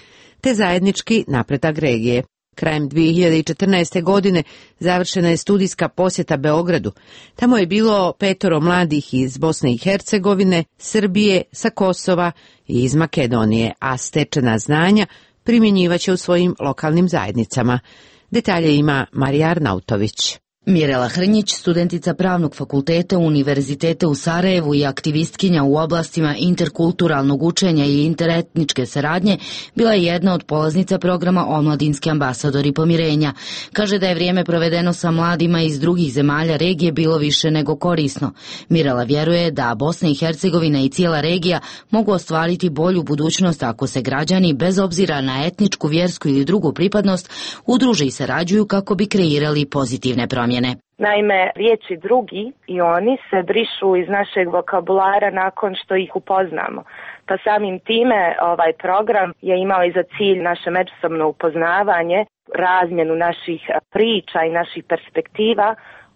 te zajednički napredak regije. Krajem 2014. godine završena je studijska posjeta Beogradu. Tamo je bilo 5 mladih iz Bosne i Hercegovine, Srbije, sa Kosova i iz Makedonije, a stečena znanja primjenjivaće u svojim lokalnim zajednicama. Detalje ima Marija Arnautović. Mirela Hrnjić, studentica Pravnog fakulteta Univerziteta u Sarajevu i aktivistkinja u oblastima interkulturalnog učenja i interetničke saradnje, bila je jedna od polaznica programa Omladinski ambasadori pomirenja. Kaže da je vrijeme provedeno sa mladima iz drugih zemalja regije bilo više nego korisno. Mirela vjeruje da Bosna i Hercegovina i cijela regija mogu ostvariti bolju budućnost ako se građani, bez obzira na etničku, vjersku ili drugu pripadnost, udruže i sarađuju kako bi kreirali pozitivne promjene. Naime, riječi drugi i oni se brišu iz našeg vokabulara nakon što ih upoznamo. Pa samim time ovaj program je imao i za cilj naše međusobno upoznavanje, razmjenu naših priča i naših perspektiva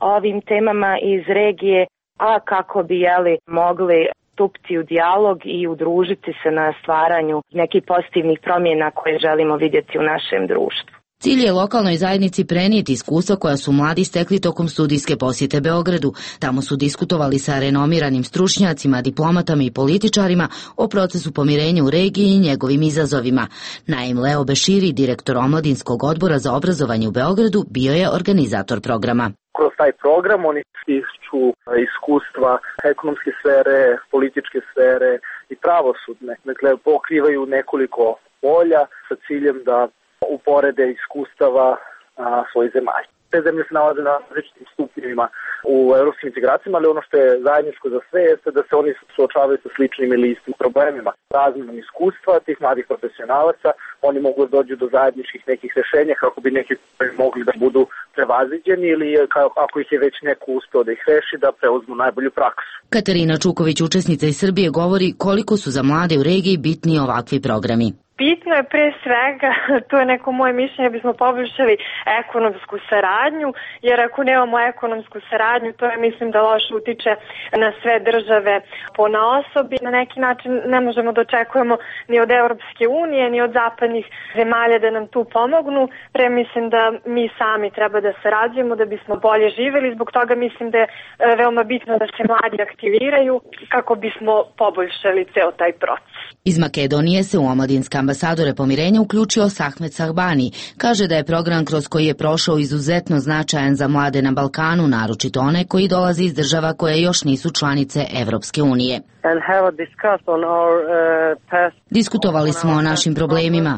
o ovim temama iz regije, a kako bi mogli stupiti u dijalog i udružiti se na stvaranju nekih pozitivnih promjena koje želimo vidjeti u našem društvu. Cilj je lokalnoj zajednici prenijeti iskustva koja su mladi stekli tokom studijske posjete Beogradu. Tamo su diskutovali sa renomiranim stručnjacima, diplomatama i političarima o procesu pomirenja u regiji i njegovim izazovima. Naim Leo Beširi, direktor Omladinskog odbora za obrazovanje u Beogradu, bio je organizator programa. Kroz taj program oni stiču iskustva ekonomske sfere, političke sfere i pravosudne. Dakle, pokrivaju nekoliko polja sa ciljem da uporede iskustava svojih zemalja. Te zemlje se nalaze na različitim stupnjevima u evropskim integracijama, ali ono što je zajedničko za sve jeste da se oni suočavaju sa sličnim ili istim problemima. Razmjenom iskustva tih mladih profesionalaca, oni mogu da dođu do zajedničkih nekih rješenja kako bi neki mogli da budu prevaziđeni ili ako ih je već neko uspeo da ih reši, da preuzmu najbolju praksu. Katarina Čuković, učesnica iz Srbije, govori koliko su za mlade u regiji bitni ovakvi programi. Bitno je pre svega, to je neko moje mišljenje, bismo poboljšali ekonomsku saradnju, jer ako nemamo ekonomsku saradnju, to je mislim da loše utiče na sve države ponaosob. Na neki način ne možemo da očekujemo ni od Europske unije, ni od zapadnih zemalja da nam tu pomognu. Pre mislim da mi sami treba da sarađujemo da bismo bolje živjeli, zbog toga mislim da je veoma bitno da se mladi aktiviraju kako bismo poboljšali ceo taj proces. Iz Makedonije se u Omladinska ambasadore pomirenja uključio Sahmet Sahbani. Kaže da je program kroz koji je prošao izuzetno značajan za mlade na Balkanu, naročito one koji dolaze iz država koje još nisu članice Evropske unije. Diskutovali smo o našim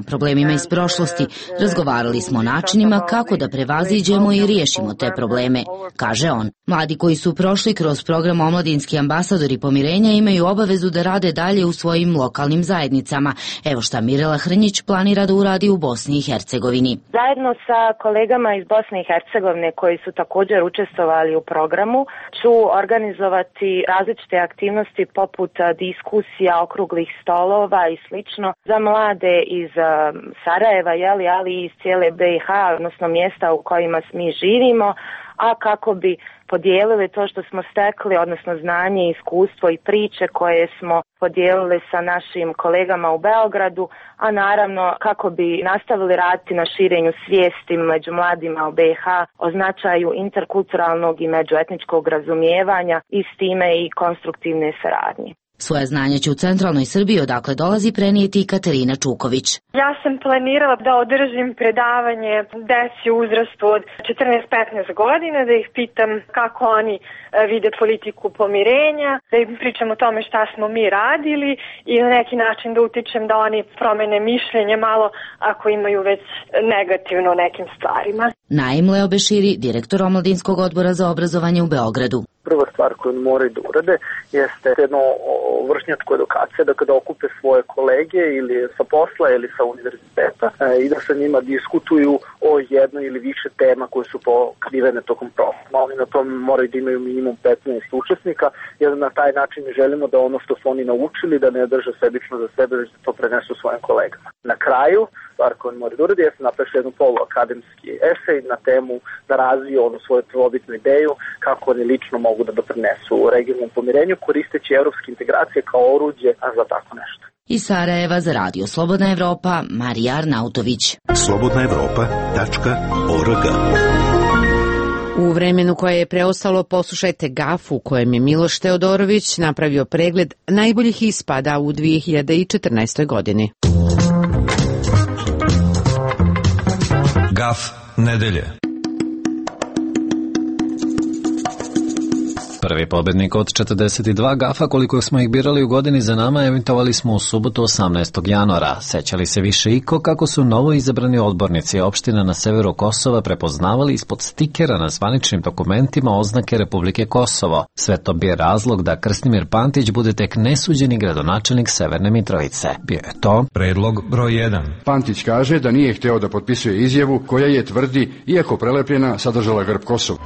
problemima iz prošlosti, razgovarali smo o načinima kako da prevaziđemo i riješimo te probleme, kaže on. Mladi koji su prošli kroz program Omladinski ambasadori pomirenja imaju obavezu da rade dalje u svojim lokalnim zajednicama. Evo šta Mirela Hrnjić planira da uradi u Bosni i Hercegovini. Zajedno sa kolegama iz Bosne i Hercegovine koji su također učestvovali u programu ću organizovati različite aktivnosti poput diskusija, okruglih stolova i slično za mlade iz Sarajeva, ali i iz cijele BiH, odnosno mjesta u kojima mi živimo, a kako bi podijelili to što smo stekli, odnosno znanje, iskustvo i priče koje smo podijelili sa našim kolegama u Beogradu, a naravno kako bi nastavili raditi na širenju svijesti među mladima u BiH o značaju interkulturalnog i međuetničkog razumijevanja i s time i konstruktivne saradnje. Svoje znanje će u centralnoj Srbiji, odakle dolazi, prenijeti i Katarina Čuković. Ja sam planirala da održim predavanje deci u uzrastu od 14-15 godina, da ih pitam kako oni vide politiku pomirenja, da im pričam o tome šta smo mi radili i na neki način da utičem da oni promene mišljenje malo ako imaju već negativno o nekim stvarima. Naim Leo Beširi, direktor Omladinskog odbora za obrazovanje u Beogradu. Prva stvar koju moraju da urade jeste jedno vršnjačko edukacija, da kada okupe svoje kolege ili sa posla ili sa univerziteta i da sa njima diskutuju o jednoj ili više tema koje su pokrivene tokom programa. Oni na tom moraju da imaju minimum 15 učesnika, jer na taj način želimo da ono što su oni naučili da ne drže sebično za sebe, već da to prenesu svojim kolegama. Na kraju, stvar koju moraju da urade jeste napišu jednu poluakademski esej na temu da razviju onu svoju prvobitnu ideju kako oni lično mogu da doprinesu regionalnom pomirenju koristeći evropske integracije kao oruđe za tako nešto. Iz Sarajeva za Radio Slobodna Evropa, Marija Arnautović. slobodnaevropa.org. U vremenu koje je preostalo poslušajte GAF u kojem je Miloš Teodorović napravio pregled najboljih ispada u 2014. godini. GAF nedelje. Prvi pobednik od 42 gafa koliko smo ih birali u godini za nama emitovali smo u subotu 18. januara. Sećali se više iko kako su novo izabrani odbornici opština na severu Kosova prepoznavali ispod stikera na zvaničnim dokumentima oznake Republike Kosovo. Sve to bio razlog da Krstimir Pantić bude tek nesuđeni gradonačelnik Severne Mitrovice. Bio je to predlog broj 1. Pantić kaže da nije hteo da potpisuje izjavu koja je, tvrdi, iako prelepljena, sadržala grb Kosova.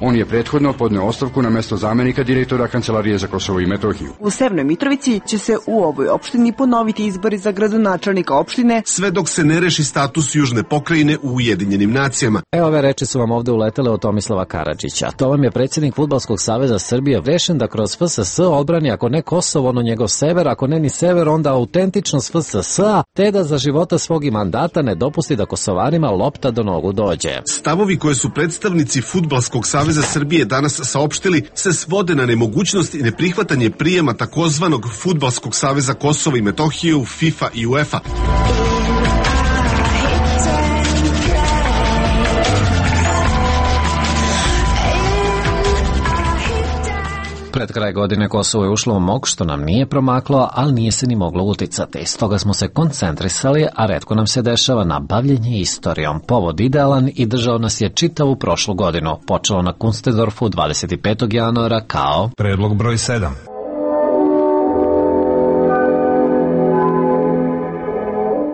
On je prethodno podneo ostavku na mesto zamenika direktora Kancelarije za Kosovo i Metohiju. U Severnoj Mitrovici će se u ovoj opštini ponoviti izbori za gradonačelnika opštine, sve dok se ne reši status južne pokrajine u Ujedinjenim nacijama. Evo ove reči su vam ovde uletele od Tomislava Karadžića. To vam je predsjednik Fudbalskog saveza Srbije rešen da kroz FSS odbrani ako ne Kosovo, ono njegov sever, ako ne ni sever, onda autentičnost FSS-a, te da za života svog i mandata ne dopusti da Kosovarima lopta do nogu dođe. Stavovi koje su predstavnici Fudbalskog saveza Srbije danas saopštili se svode na nemogućnost i neprihvatanje prijema takozvanog Fudbalskog saveza Kosova i Metohije u FIFA i UEFA. Pred kraj godine Kosovo je ušlo u mok, što nam nije promaklo, ali nije se ni moglo uticati. Stoga smo se koncentrisali, a retko nam se dešava na bavljenje istorijom. Povod idealan i držao nas je čitavu prošlu godinu. Počelo na Kunstedorfu 25. januara kao predlog broj 7.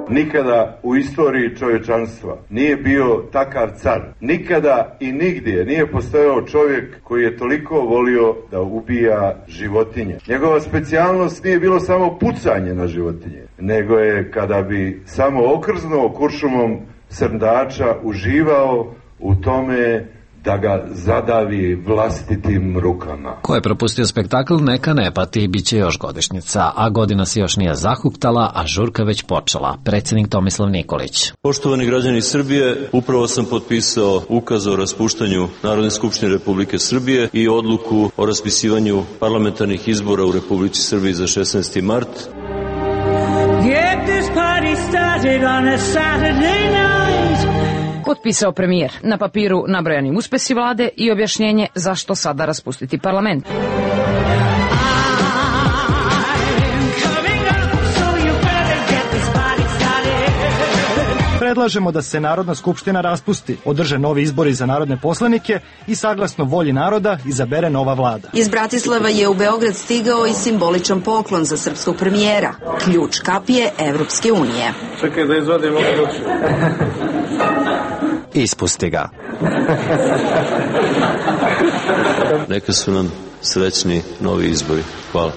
Nikada u istoriji čovječanstva nije bio takav car. Nikada i nigdje nije postojao čovjek koji je toliko volio da ubija životinje. Njegova specijalnost nije bilo samo pucanje na životinje, nego je kada bi samo okrznuo kuršumom srndača uživao u tome da ga zadavi vlastitim rukama. Ko je propustio spektakl, neka ne pati, bit će još godišnjica, a godina se još nije zahuktala, a žurka već počela. Predsjednik Tomislav Nikolić. Poštovani građani Srbije, upravo sam potpisao ukaz o raspuštanju Narodne skupštine Republike Srbije i odluku o raspisivanju parlamentarnih izbora u Republici Srbiji za 16. mart. Potpisao premijer, na papiru nabrojani uspesi vlade i objašnjenje zašto sada raspustiti parlament. Predlažemo da se Narodna skupština raspusti, održe novi izbori za narodne poslanike i saglasno volji naroda izabere nova vlada. Iz Bratislava je u Beograd stigao i simboličan poklon za srpskog premijera, ključ kapije Evropske unije. Čekaj da izvadimo ključ. Ispusti ga. Neka su nam srećni novi izbori. Hvala.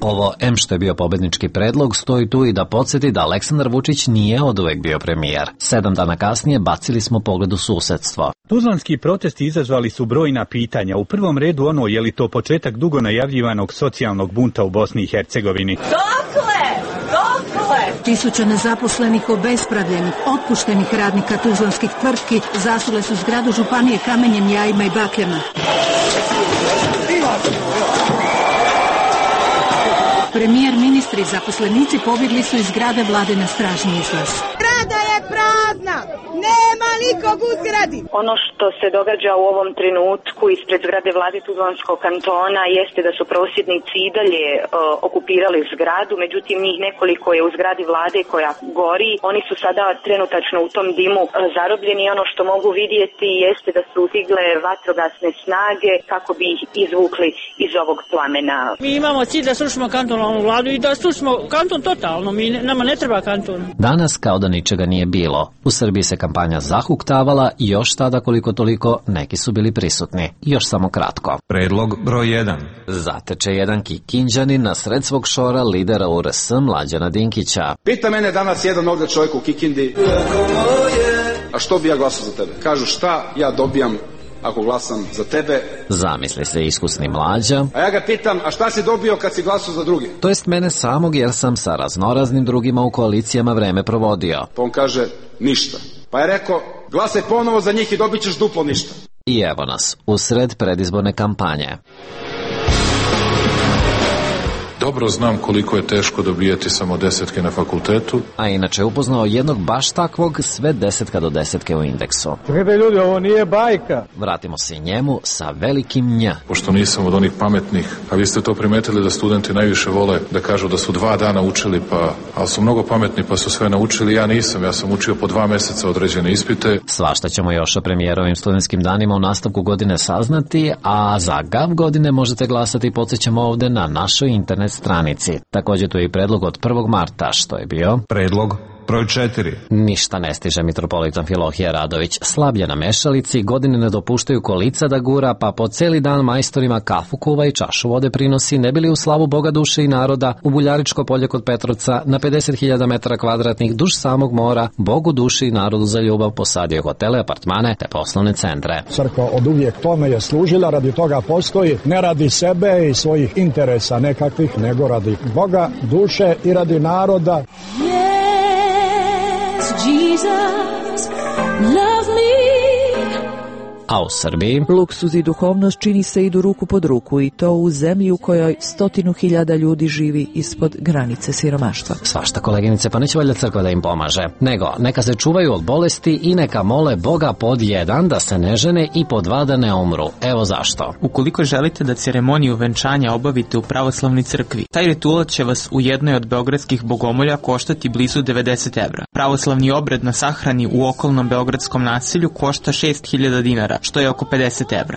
Ovo, em što je bio pobednički predlog, stoji tu i da podsjeti da Aleksandar Vučić nije oduvek bio premijer. 7 dana kasnije bacili smo pogled u susedstvo. Tuzlanski protesti izazvali su brojna pitanja. U prvom redu ono, je li to početak dugo najavljivanog socijalnog bunta u Bosni i Hercegovini? Tisuće nezaposlenih, obespravljenih, otpuštenih radnika tuzlanskih tvrtki zasule su zgradu županije kamenjem, jajima i bakljama. Premijer, ministri i zaposlenici pobjegli su iz zgrade vlade na stražni izlaz. Zgrada je prazna, nema nikog u zgradi. Ono što se događa u ovom trenutku ispred zgrade vlade Tuzlanskog kantona jeste da su prosvjednici i dalje okupirali zgradu, međutim njih nekoliko je u zgradi vlade koja gori. Oni su sada trenutačno u tom dimu zarobljeni i ono što mogu vidjeti jeste da su stigle vatrogasne snage kako bi ih izvukli iz ovog plamena. Mi imamo cilj da srušimo kantonalnu vladu i da srušimo kanton totalno, nama ne treba kanton. Danas kao da ničega nije bilo. U Srbiji se kampanja zahuktavala i još tada koliko toliko neki su bili prisutni. Još samo kratko. Predlog broj 1. Zateče jedan Kikinđanin na sred svog šora lidera URS Mlađana Dinkića. Pita mene danas jedan ovdje čovjek u Kikindi, a što bi ja glasao za tebe? Kažu šta ja dobijam ako glasam za tebe. Zamisli se iskusni Mlađa. A ja ga pitam, a šta si dobio kad si glasao za druge? To jest mene samog, jer sam sa raznoraznim drugima u koalicijama vreme provodio. Pa on kaže, ništa. Pa je rekao, glasaj ponovo za njih i dobit ćeš duplo ništa. I evo nas, usred predizborne kampanje. Dobro znam koliko je teško dobijati samo 10 na fakultetu. A inače upoznao jednog baš takvog, sve 10 do 10 u indeksu. Čekajte ljudi, ovo nije bajka. Vratimo se njemu sa velikim nja. Pošto nisam od onih pametnih, a vi ste to primetili da studenti najviše vole da kažu da su 2 dana učili, ali su mnogo pametni pa su sve naučili, ja nisam, ja sam učio po 2 meseca određene ispite. Svašta ćemo još o premijerovim studentskim danima u nastavku godine saznati, a za GAV godine možete glasati i podsjećamo ovde na našoj internet stranici. Također tu je i predlog od 1. marta, što je bio? Predlog broj 4. Ništa ne stiže mitropolit Amfilohije Radović. Slablje na mešalici, godine ne dopuštaju kolica da gura, pa po celi dan majstorima kafu kuva i čašu vode prinosi, ne bili u slavu Boga duše i naroda, u Buljaričko polje kod Petrovca, na 50.000 metara kvadratnih duž samog mora, Bogu duši i narodu za ljubav posadio hotele, apartmane te poslovne centre. Crkva od uvijek tome je služila, radi toga postoji, ne radi sebe i svojih interesa nekakvih, nego radi Boga, duše i radi naroda. Jesus, love me. A u Srbiji? Luksuz i duhovnost čini se idu ruku pod ruku i to u zemlji u kojoj 100.000 ljudi živi ispod granice siromaštva. Svašta koleginice, pa neće valjda crkva da im pomaže. Nego, neka se čuvaju od bolesti i neka mole Boga pod 1 da se ne žene i pod 2 da ne umru. Evo zašto. Ukoliko želite da ceremoniju venčanja obavite u pravoslavnoj crkvi, taj ritual će vas u jednoj od beogradskih bogomolja koštati blizu 90 evra. Pravoslavni obred na sahrani u okolnom beogradskom naselju košta 6.000 dinara, što je oko 50 evra.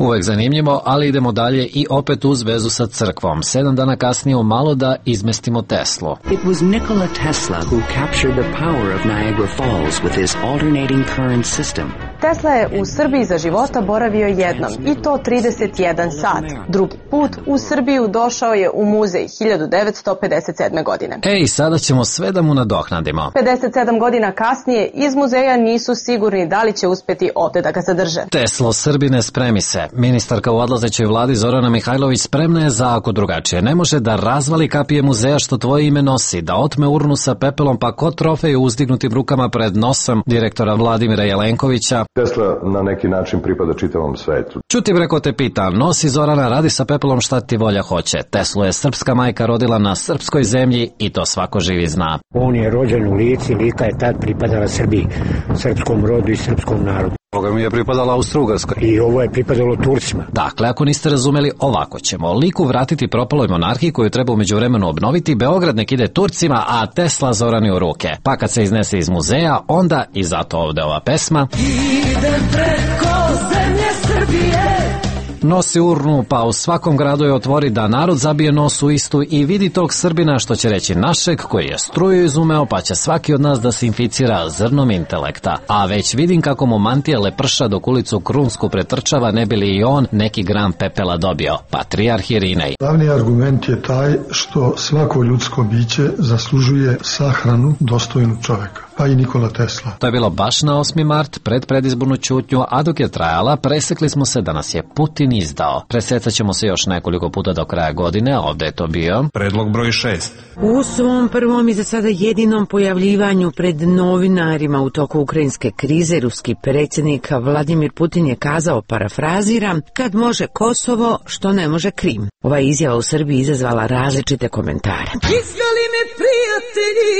Uvek zanimljivo, ali idemo dalje i opet uz vezu sa crkvom. 7 dana kasnije u malo da izmestimo Teslu. It was Nikola Tesla who captured the power of Niagara Falls with his alternating current system. Tesla je u Srbiji za života boravio jednom, i to 31 sat. Drugi put u Srbiju došao je u muzej 1957. godine. Ej, sada ćemo sve da mu nadoknadimo. 57 godina kasnije iz muzeja nisu sigurni da li će uspeti ovde da ga zadrže. Teslo, Srbine, spremi se. Ministarka u odlazećoj vladi Zorana Mihajlović spremna je za ako drugačije. Ne može da razvali kapije muzeja što tvoje ime nosi, da otme urnu sa pepelom pa ko trofej u uzdignutim rukama pred nosom direktora Vladimira Jelenkovića. Tesla na neki način pripada čitavom svetu. Čuti breko te pita, nosi Zorana, radi sa pepelom šta ti volja hoće. Teslu je srpska majka rodila na srpskoj zemlji i to svako živi zna. On je rođen u Lici, Lika je tad pripadala Srbiji, srpskom rodu i srpskom narodu. Ovoga mi je pripadala Austro-Ugarskoj. I ovo je pripadalo Turcima. Dakle, ako niste razumeli, ovako ćemo. Liku vratiti propaloj monarhiji koju treba u međuvremenu obnoviti, Beograd nek ide Turcima, a Tesla Zorani u ruke. Pa kad se iznese iz muzeja, onda i zato ovde ova pesma. Idem preko zemlje Srbije. Nosi urnu, pa u svakom gradu je otvori da narod zabije nos u istu i vidi tog Srbina, što će reći našeg, koji je struju izumeo, pa će svaki od nas da se inficira zrnom intelekta. A već vidim kako mu mantija leprša dok ulicu Krunsku pretrčava, ne bi li i on neki gram pepela dobio. Patrijarh Irinej. Glavni argument je taj što svako ljudsko biće zaslužuje sahranu dostojnu čoveka, pa i Nikola Tesla. To je bilo baš na 8. mart, pred predizbornu ćutnju, a dok je trajala, presekli smo se da nas je Putin izdao. Presecat ćemo se još nekoliko puta do kraja godine, a ovde je to bio predlog broj 6. U svom prvom i za sada jedinom pojavljivanju pred novinarima u toku ukrajinske krize, ruski predsjednik Vladimir Putin je kazao, parafraziram, kad može Kosovo, što ne može Krim. Ova izjava u Srbiji izazvala različite komentare. Izdali me prijatelji,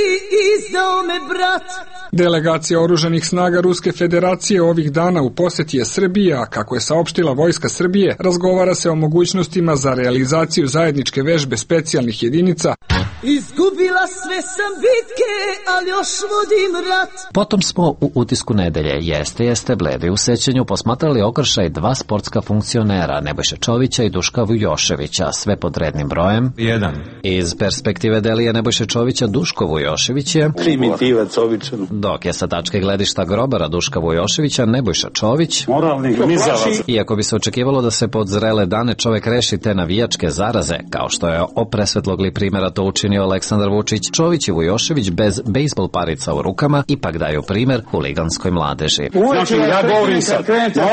izdao me brat. Delegacija oružanih snaga Ruske federacije ovih dana u posjeti je Srbiji, a kako je saopštila Vojska Srbije, razgovara se o mogućnostima za realizaciju zajedničke vežbe specijalnih jedinica. Izgubila sve sam bitke, ali još vodim rat. Potom smo u utisku nedelje Jeste bledi u sećanju posmatrali okršaj 2 sportska funkcionera, Nebojše Čovića i Duška Vujoševića, sve pod rednim brojem 1. Iz perspektive Delije Nebojše Čovića, Duško Vujošević je primitivac običan, dok je sa tačke gledišta grobara Duška Vujoševića Nebojša Čović moralni gmizavac. Iako bi se očekivalo da se pod zrele dane čovek reši te navijačke zaraze, kao što je o presvetlogli primjera to učinio Aleksandar Vučić, Čović i Vujošević bez bejsbol parica u rukama ipak daju primjer huliganskoj mladeži. Znači, ja govorim sad,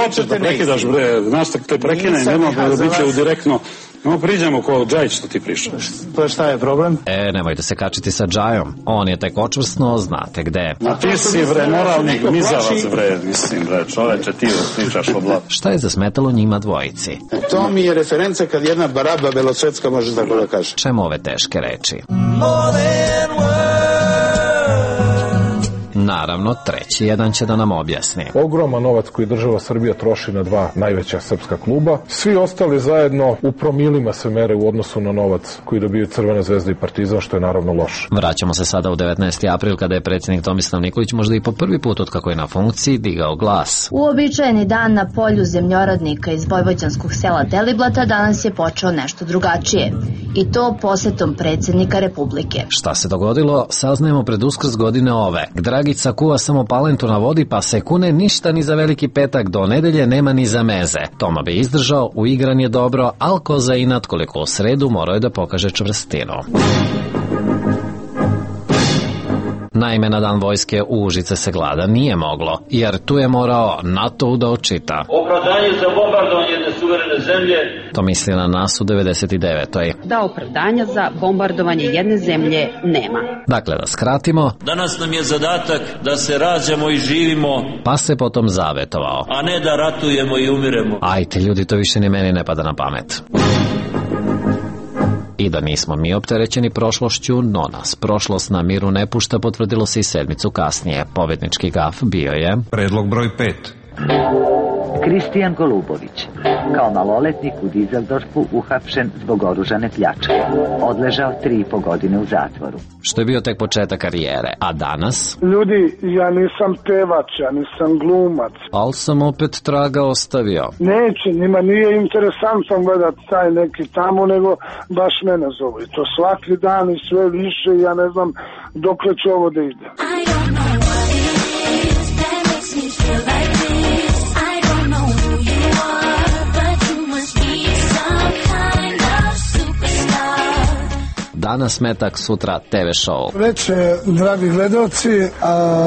hoćeš da prekidaš, bre, znaš da te prekine, nema da bit će u direktno. No, priđemo ko Džajić što ti prišao. Pa šta je problem? Nemojte se kačiti sa Džajom. On je tek očvrsno, znate gde. A ti si, bre, moralni gmizavac, bre, mislim, bre, čoveče, ti pričaš o blatu. Šta je zasmetalo njima dvojici? To mi je referenca kad jedna baraba belosvetska može tako da kaže. Čemu ove teške reči? Naravno, treći jedan će da nam objasni. Ogroman novac koji država Srbija troši na 2 najveća srpska kluba. Svi ostali zajedno u promilima se mere u odnosu na novac koji dobiju Crvena zvezda i Partizan, što je naravno loše. Vraćamo se sada u 19. april kada je predsjednik Tomislav Nikolić možda i po prvi put od kako je na funkciji digao glas. Uobičajeni dan na polju zemljoradnika iz vojvođanskog sela Deliblata danas je počeo nešto drugačije. I to posetom predsjednika Republike. Šta se dogodilo, saznajemo pred Uskrs godine ove. Dragica kuva samo palentu na vodi pa se kune ništa ni za Veliki petak, do nedelje nema ni za meze. Toma bi izdržao, uigran je dobro, al ko za inat koliko u sredu morao je da pokaže čvrstinu. Naime, na dan vojske u Užice se glada nije moglo, jer tu je morao NATO da očita. Opravdanje za bombardovanje jedne suverene zemlje. To misli na nas u 99. Da opravdanja za bombardovanje jedne zemlje nema. Dakle, da skratimo. Danas nam je zadatak da se rađamo i živimo. Pa se potom zavetovao. A ne da ratujemo i umiremo. Ajte ljudi, to više ni meni ne pada na pamet. I da nismo mi opterećeni prošlošću, no nas prošlost na miru ne pušta, potvrdilo se i sedmicu kasnije. Pobednički gaf bio je predlog broj 5. Kristijan Golubović, kao maloletnik u Dizeldorfu uhapšen zbog oružane pljačke. Odležao 3,5 godine u zatvoru. Što je bio tek početak karijere, a danas? Ljudi, ja nisam pevač, ja nisam glumac. Al sam opet traga ostavio. Neće, njima nije interesantno gledati taj neki tamo, nego baš mene zovu. I to svaki dan i sve više, ja ne znam dokle će ovo da ide. Danas metak, sutra TV show. Veče, dragi gledalci,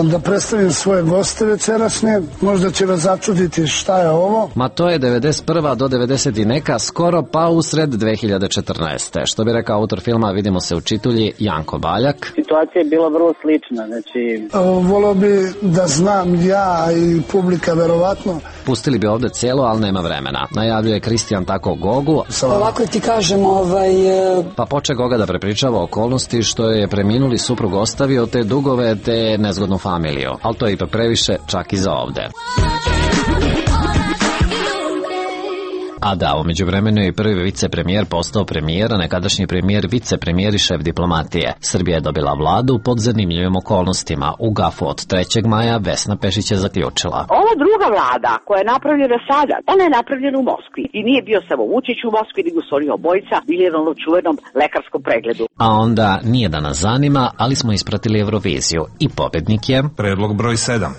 da predstavim svoje goste večerašnje. Možda će vas začuditi šta je ovo. Ma to je 91. do 90. neka, skoro pa usred 2014. Što bi rekao autor filma Vidimo se u čitulji, Janko Baljak. Situacija je bila vrlo slična, znači... Volio bi da znam ja i publika verovatno. Pustili bi ovde celo, ali nema vremena. Najavljuje Kristijan tako Gogu. Ovako ti kažem, Pa poče Goga da prepričava okolnosti što je preminuli suprug ostavio, te dugove, te nezgodnu familiju. Ali to je ipak previše, čak i za ovde. A da, umeđu vremenu je prvi vicepremijer postao premijer, a nekadašnji premijer vicepremijer i šef diplomatije. Srbija je dobila vladu pod zanimljivim okolnostima. U Gafu od 3. maja Vesna Pešić je zaključila. Ova druga vlada koja je napravljena sada, ona je napravljena u Moskvi. I nije bio samo Vučić u Moskvi, nego su oni obojica bili na onom čuvenom lekarskom pregledu. A onda, nije da nas zanima, ali smo ispratili Euroviziju. I pobednik je... Predlog broj 7.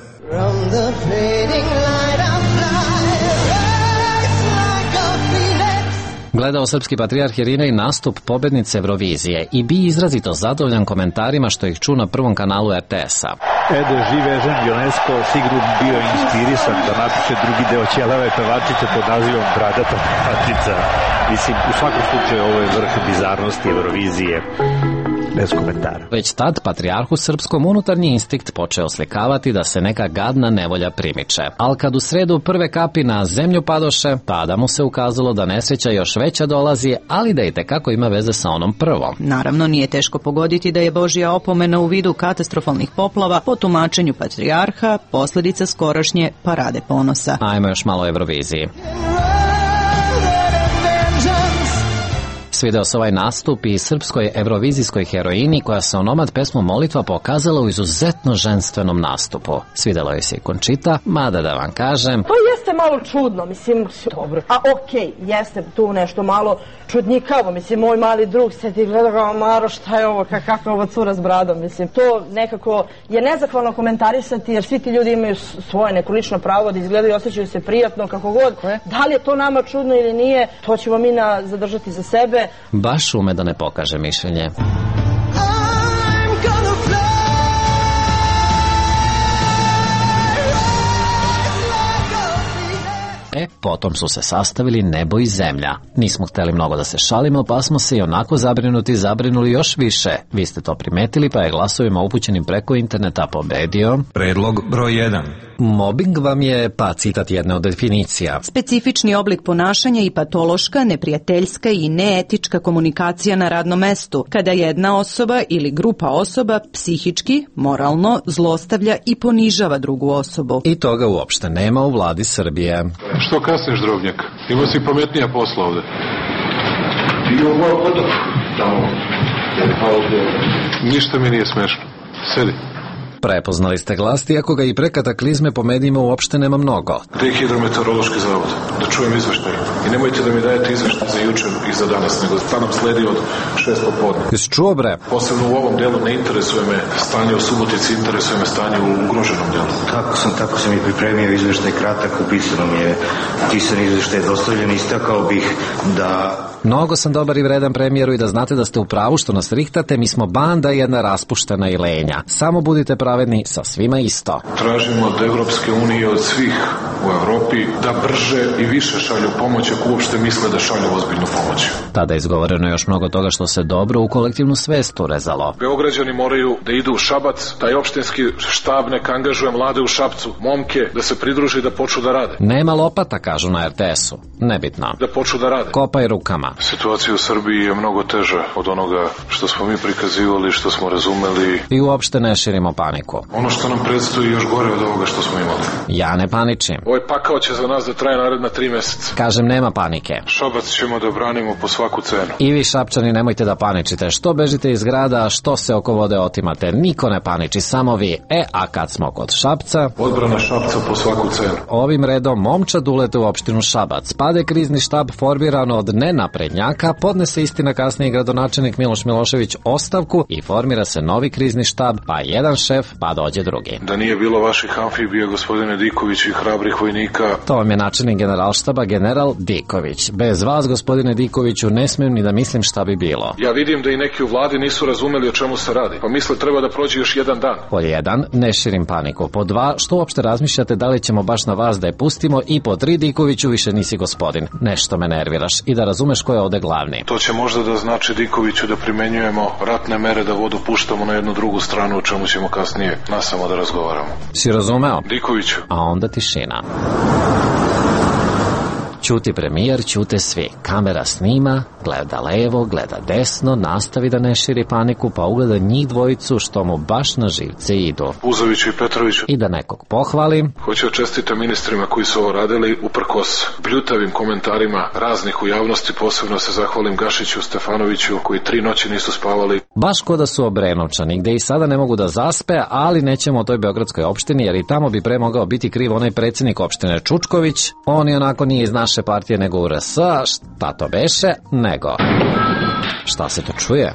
Gledao srpski patrijarh Irinej nastup pobednice Eurovizije i bi izrazito zadovoljan komentarima što ih ču na prvom kanalu RTS-a. Živ Ežen Jonesko sigurno bio inspirisan da napiše drugi deo Ćelave pevačice pod nazivom Bradata pevačica. Mislim, u svakom slučaju ovo je vrh bizarnosti Eurovizije. Bez komentara. Već tad patrijarhu srpskom unutarnji instinkt počeo slikavati da se neka gadna nevolja primiče. Al kad u sredu prve kapi na zemlju padoše, tada mu se ukazalo da nesreća još veća dolazi, ali da i tekako ima veze sa onom prvom. Naravno, nije teško pogoditi da je Božja opomena u vidu katastrofalnih poplava po tumačenju patrijarha posledica skorašnje parade ponosa. Ajmo još malo o Euroviziji. Svideo se ovaj nastup i srpskoj evrovizijskoj heroini koja se onomad pesmu Molitva pokazala u izuzetno ženstvenom nastupu. Svidelo je se i Končita, mada da vam kažem... To jeste malo čudno, mislim, dobro. A okej, jeste tu nešto malo čudnjikavo, mislim, moj mali drug se ti gleda kao Maro, šta je ovo, kakva je ova cura s bradom, mislim. To nekako je nezahvalno komentarisati jer svi ti ljudi imaju svoje neko lično pravo da izgledaju i osjećaju se prijatno, kako god. Da li je to nama čudno ili nije, to ćemo mi zadržati za sebe. Baš ume da ne pokaže mišljenje. Potom su se sastavili nebo i zemlja. Nismo hteli mnogo da se šalimo, pa smo se i onako zabrinuli još više. Vi ste to primetili, pa je glasovima upućenim preko interneta pobedio... Predlog broj 1. Mobbing vam je, pa citat jedne od definicija. Specifični oblik ponašanja i patološka, neprijateljska i neetička komunikacija na radnom mestu, kada jedna osoba ili grupa osoba psihički, moralno zlostavlja i ponižava drugu osobu. I toga uopšte nema u vladi Srbije. Što kasniš, drobnjak? Imao si pametnija posla ovde. Ništa mi nije smešno. Sedi. Prepoznali ste glas, iako ga i pre kataklizme po medijima uopšte nema mnogo. Gde je hidrometeorološki zavod? Da čujem izveštaj. I nemojte da mi dajete izveštaj za juče i za danas, nego šta nam sledi od 6 popodne. Jesi čuo, bre? Posebno u ovom delu ne interesuje me stanje u Subotici, interesuje me stanje u ugroženom delu. Tako sam i pripremio izveštaj kratak, upisano mi je pisan izveštaj dostavljen, istakao bih da... Mnogo sam dobar i vredan premijeru i da znate da ste u pravu što nas rihtate, mi smo banda jedna raspuštena i lenja. Samo budite pravedni, sa svima isto. Tražimo od Evropske unije, od svih u Evropi, da brže i više šalju pomoć ako uopšte misle da šalju ozbiljnu pomoć. Tada je izgovoreno još mnogo toga što se dobro u kolektivnu svest urezalo. Beograđani moraju da idu u Šabac, taj opštinski štab neka angažuje mlade u Šapcu, momke, da se pridruži i da počnu da rade. Nema lopata, kažu na RTS-u. Nebitno. Da počnu da rade. Kopaj rukama. Situacija u Srbiji je mnogo teža od onoga što smo mi prikazivali, što smo razumeli. I uopšte ne širimo paniku. Ono što nam predstoji još gore od ovoga što smo imali. Ja ne paničim. Ovaj pakao će za nas da traje naredna 3 meseca. Kažem, nema panike. Šabac ćemo da branimo po svaku cenu. I vi Šapčani nemojte da paničite. Što bežite iz grada, što se oko vode otimate. Niko ne paniči, samo vi. A kad smo kod Šapca... Odbrana Šapca po svaku cenu. Ovim redom momčad ulete u opštinu Šabac. Pade krizni štab formiran od nenaprednjaka, podnese istina kasnije gradonačelnik Miloš Milošević ostavku i formira se novi krizni štab, pa jedan šef, pa dođe drugi. Da nije bilo vaših amfibija, gospodine Diković, i hrabrih vojnika... To vam je načelnik generalštaba, general Diković. Bez vas, gospodine Dikoviću, ne smijem ni da mislim šta bi bilo. Ja vidim da i neki u vladi nisu razumeli o čemu se radi, pa misle treba da prođe još jedan dan. Pod 1, ne širim paniku. Pod 2, što uopšte razmišljate da li ćemo baš na vas da je pustimo, i pod 3, Dikoviću, više nisi gospodin. Nešto me nerviraš i da razumeš ko je ovde glavni. To će možda da znači, Dikoviću, da primenjujemo ratne mere, da vodu puštamo na jednu drugu stranu, o čemu ćemo kasnije nasamo da razgovaramo. Si razumeo? Dikoviću. A onda tišina. Ćuti premijer, ćute svi. Kamera snima, gleda levo, gleda desno, nastavi da ne širi paniku, pa ugleda njih dvojicu što mu baš na živce idu. Uzoviću i Petroviću. I da nekog pohvali. Hoću da čestitam ministrima koji su ovo radili uprkos bljutavim komentarima raznih u javnosti, posebno se zahvalim Gašiću, Stefanoviću, koji 3 noći nisu spavali. Baš ko da su Obrenovčani, gde i sada ne mogu da zaspe, ali nećemo o toj beogradskoj opštini, jer i tamo bi pre mogao biti kriv onaj predsjednik opštine Čučković. On i onako nije iz naše partije nego u RS, šta to beše, nego. Šta se to čuje?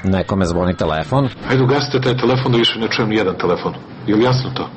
Nekome zvoni telefon. Ajde, ugasite taj telefon da više ne čujem nijedan telefon. Je li jasno to?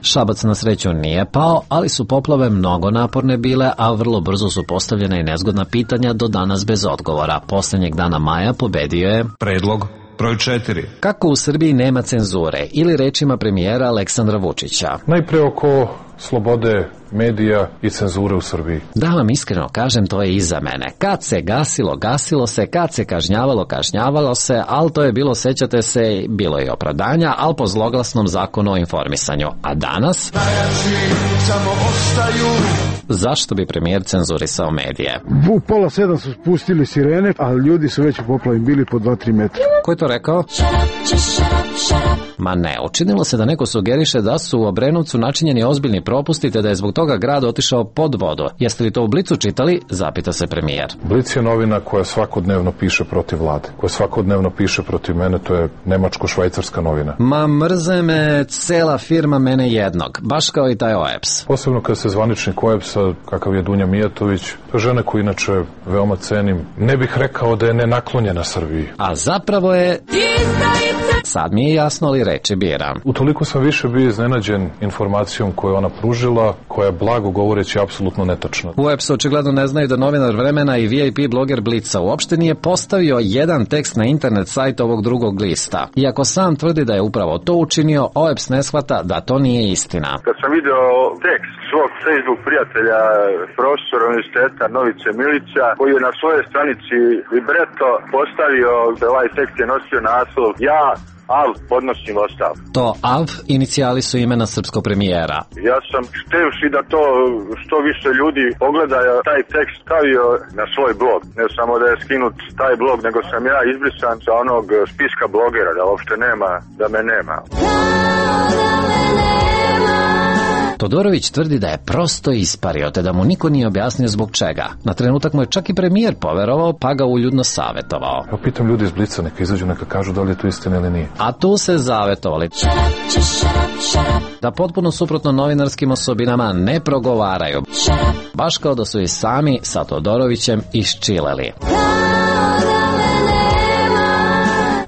Šabac na sreću nije pao, ali su poplave mnogo naporne bile, a vrlo brzo su postavljene i nezgodna pitanja, do danas bez odgovora. Poslednjeg dana maja pobedio je... Predlog broj 4. Kako u Srbiji nema cenzure, ili rečima premijera Aleksandra Vučića. Najpre oko slobode medija i cenzure u Srbiji. Da vam iskreno kažem, to je iza mene. Kad se gasilo, gasilo se, kad se kažnjavalo, kažnjavalo se, ali to je bilo, sećate se, bilo je opravdanja, ali po zloglasnom zakonu o informisanju. A danas... Zašto bi premijer cenzurisao medije? U 6:30 su spustili sirene, ali ljudi su već u poplavi bili po 2-3 metra. Ko je to rekao? Ma ne, učinilo se da neko sugeriše da su u Obrenovcu načinjeni ozbiljni propusti, te da je zbog toga grad otišao pod vodu. Jeste li to u Blicu čitali? Zapita se premijer. Blic je novina koja svakodnevno piše protiv vlade, koja svakodnevno piše protiv mene, to je nemačko-švajcarska novina. Ma mrze me cela firma mene jednog, baš kao i taj OEPS. Posebno kada se zvaničnik OEPS-a, kakav je Dunja Mijatović, to je žena koju inače veoma cenim. Ne bih rekao da je nenaklonjena Srbiji. A zapravo je... Sad mi je jasno, li reči biram. Utoliko sam više bio iznenađen informacijom koju je ona pružila, koja je blago govoreći apsolutno netačna. UEPS očigledno ne znaju da novinar Vremena i VIP bloger Blica uopšte nije postavio jedan tekst na internet sajt ovog drugog lista. Iako sam tvrdi da je upravo to učinio, OEPS ne shvata da to nije istina. Kad sam video tekst svog Facebook prijatelja, profesora univerziteta Novice Milića, koji je na svojoj stranici Libreto postavio da ovaj tekst je nosio naslov "Ja AV podnosim ostavku". To AV inicijali su imena srpskog premijera. Ja sam htevši da to što više ljudi pogleda taj tekst stavio na svoj blog. Ne samo da je skinut taj blog, nego sam ja izbrisan sa onog spiska blogera, da uopšte nema, da me nema. Todorović tvrdi da je prosto ispario, te da mu niko nije objasnio zbog čega. Na trenutak mu je čak i premijer poverovao, pa ga uljudno savetovao. Ja pitam ljudi iz Blica, neka izađu, neka kažu da li je to istina ili nije. A tu se zavetovali da potpuno suprotno novinarskim osobinama ne progovaraju. Baš kao da su i sami sa Todorovićem iščileli.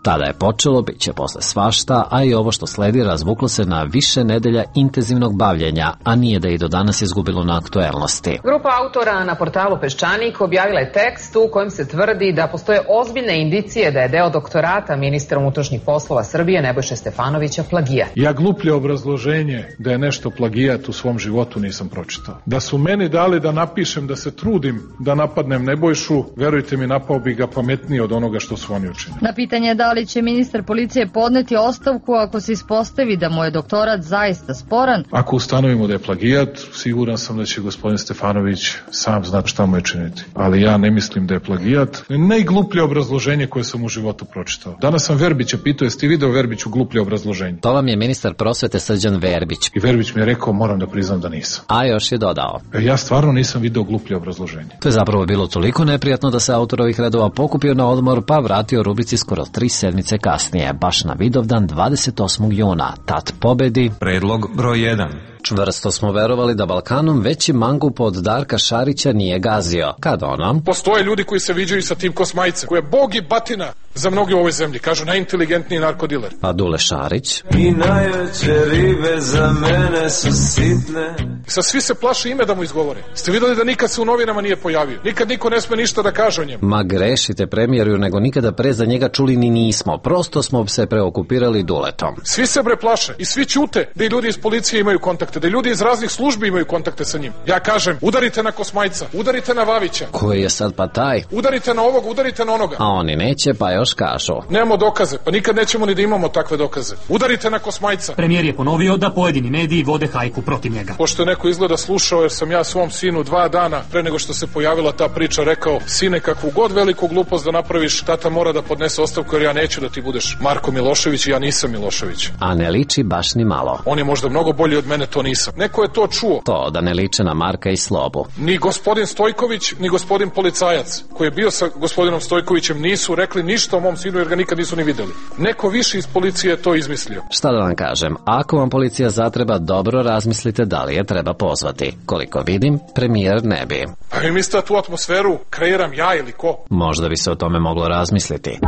Tada je počelo, bit će posle svašta, a i ovo što sledi razvuklo se na više nedelja intenzivnog bavljenja, a nije da i do danas izgubilo na aktuelnosti. Grupa autora na portalu Peščanik objavila je tekst u kojem se tvrdi da postoje ozbiljne indicije da je deo doktorata ministra unutrašnjih poslova Srbije Nebojše Stefanovića plagijat. Ja gluplje obrazloženje da je nešto plagijat u svom životu nisam pročitao. Da su meni dali da napišem, da se trudim da napadnem Nebojšu, verujte mi, napao bi ga pametnije od onoga što su oni učinili. Na pitanje da li li će ministar policije podneti ostavku ako se ispostavi da mu je doktorat zaista sporan. Ako ustanovimo da je plagijat, siguran sam da će gospodin Stefanović sam znati šta mu je činiti. Ali ja ne mislim da je plagijat. Najgluplje obrazloženje koje sam u životu pročitao. Danas sam Verbića pitao, jeste ti video Verbiću gluplje obrazloženje? To vam je ministar prosvete Srđan Verbić. I Verbić mi je rekao, moram da priznam da nisam. A još je dodao. Ja stvarno nisam video gluplje obrazloženje. To je zapravo bilo toliko neprijatno da se autor ovih redova pokupio na odmor pa vratio rubrici skoro 3 sedmice kasnije, baš na Vidovdan 28. juna. Tat pobedi. Predlog broj 1. Čvrsto smo verovali da Balkanom veći mangup od Darka Šarića nije gazio. Kad ono? Postoje ljudi koji se viđaju sa tim kosmajcem, koji je bog i batina za mnoge u ovoj zemlji. Kažu najinteligentniji narkodiler. A Dule Šarić? I najveće ribe za mene su sitne. Sad svi se plaše ime da mu izgovore. Ste videli da nikad se u novinama nije pojavio? Nikad niko ne sme ništa da kaže o njemu. Ma grešite premijeru, nego nikada pre za njega čuli ni nismo. Prosto smo se preokupirali Duletom. Svi se bre plaše i svi ćute da i ljudi iz policije imaju kontakte, da ljudi iz raznih službi imaju kontakte sa njim. Ja kažem, udarite na Kosmajca, udarite na Vavića. Koji je sad pa taj? Udarite na ovog, udarite na onoga. A oni neće, pa još kažu. Nemamo dokaze, pa nikad nećemo ni da imamo takve dokaze. Udarite na Kosmajca. Premijer je ponovio da pojedini mediji vode hajku protiv njega. Pošto je neko izgleda slušao, jer sam ja svom sinu 2 dana pre nego što se pojavila ta priča rekao, sine, kakvu god veliku glupost da napraviš, tata mora da podnese ostavku jer ja neću da ti budeš Marko Milošević i ja nisam Milošević. A ne liči baš ni malo. On je možda mnogo bolji od mene, to nisam. Neko je to čuo. To da ne liče na Marka i Slobu. Ni gospodin Stojković, ni gospodin policajac koji je bio sa gospodinom Stojkovićem nisu rekli ništa o mom sinu jer ga nikad nisu ni videli. Neko više iz policije je to izmislio. Šta da vam kažem, ako vam policija zatreba, dobro razmislite da li je treba pozvati. Koliko vidim, premijer ne bi. A vi mislite da tu atmosferu kreiram ja ili ko? Možda bi se o tome moglo razmisliti.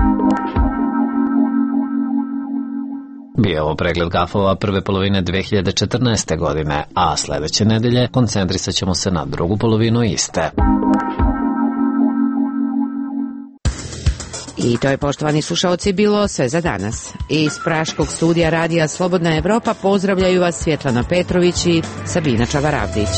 Bio ovo pregled gafova prve polovine 2014. godine, a sledeće nedelje koncentrisat ćemo se na drugu polovinu iste. I to je, poštovani slušaoci, bilo sve za danas. Iz Praškog studija radija Slobodna Evropa pozdravljaju vas Svjetlana Petrović i Sabina Čavaravdić.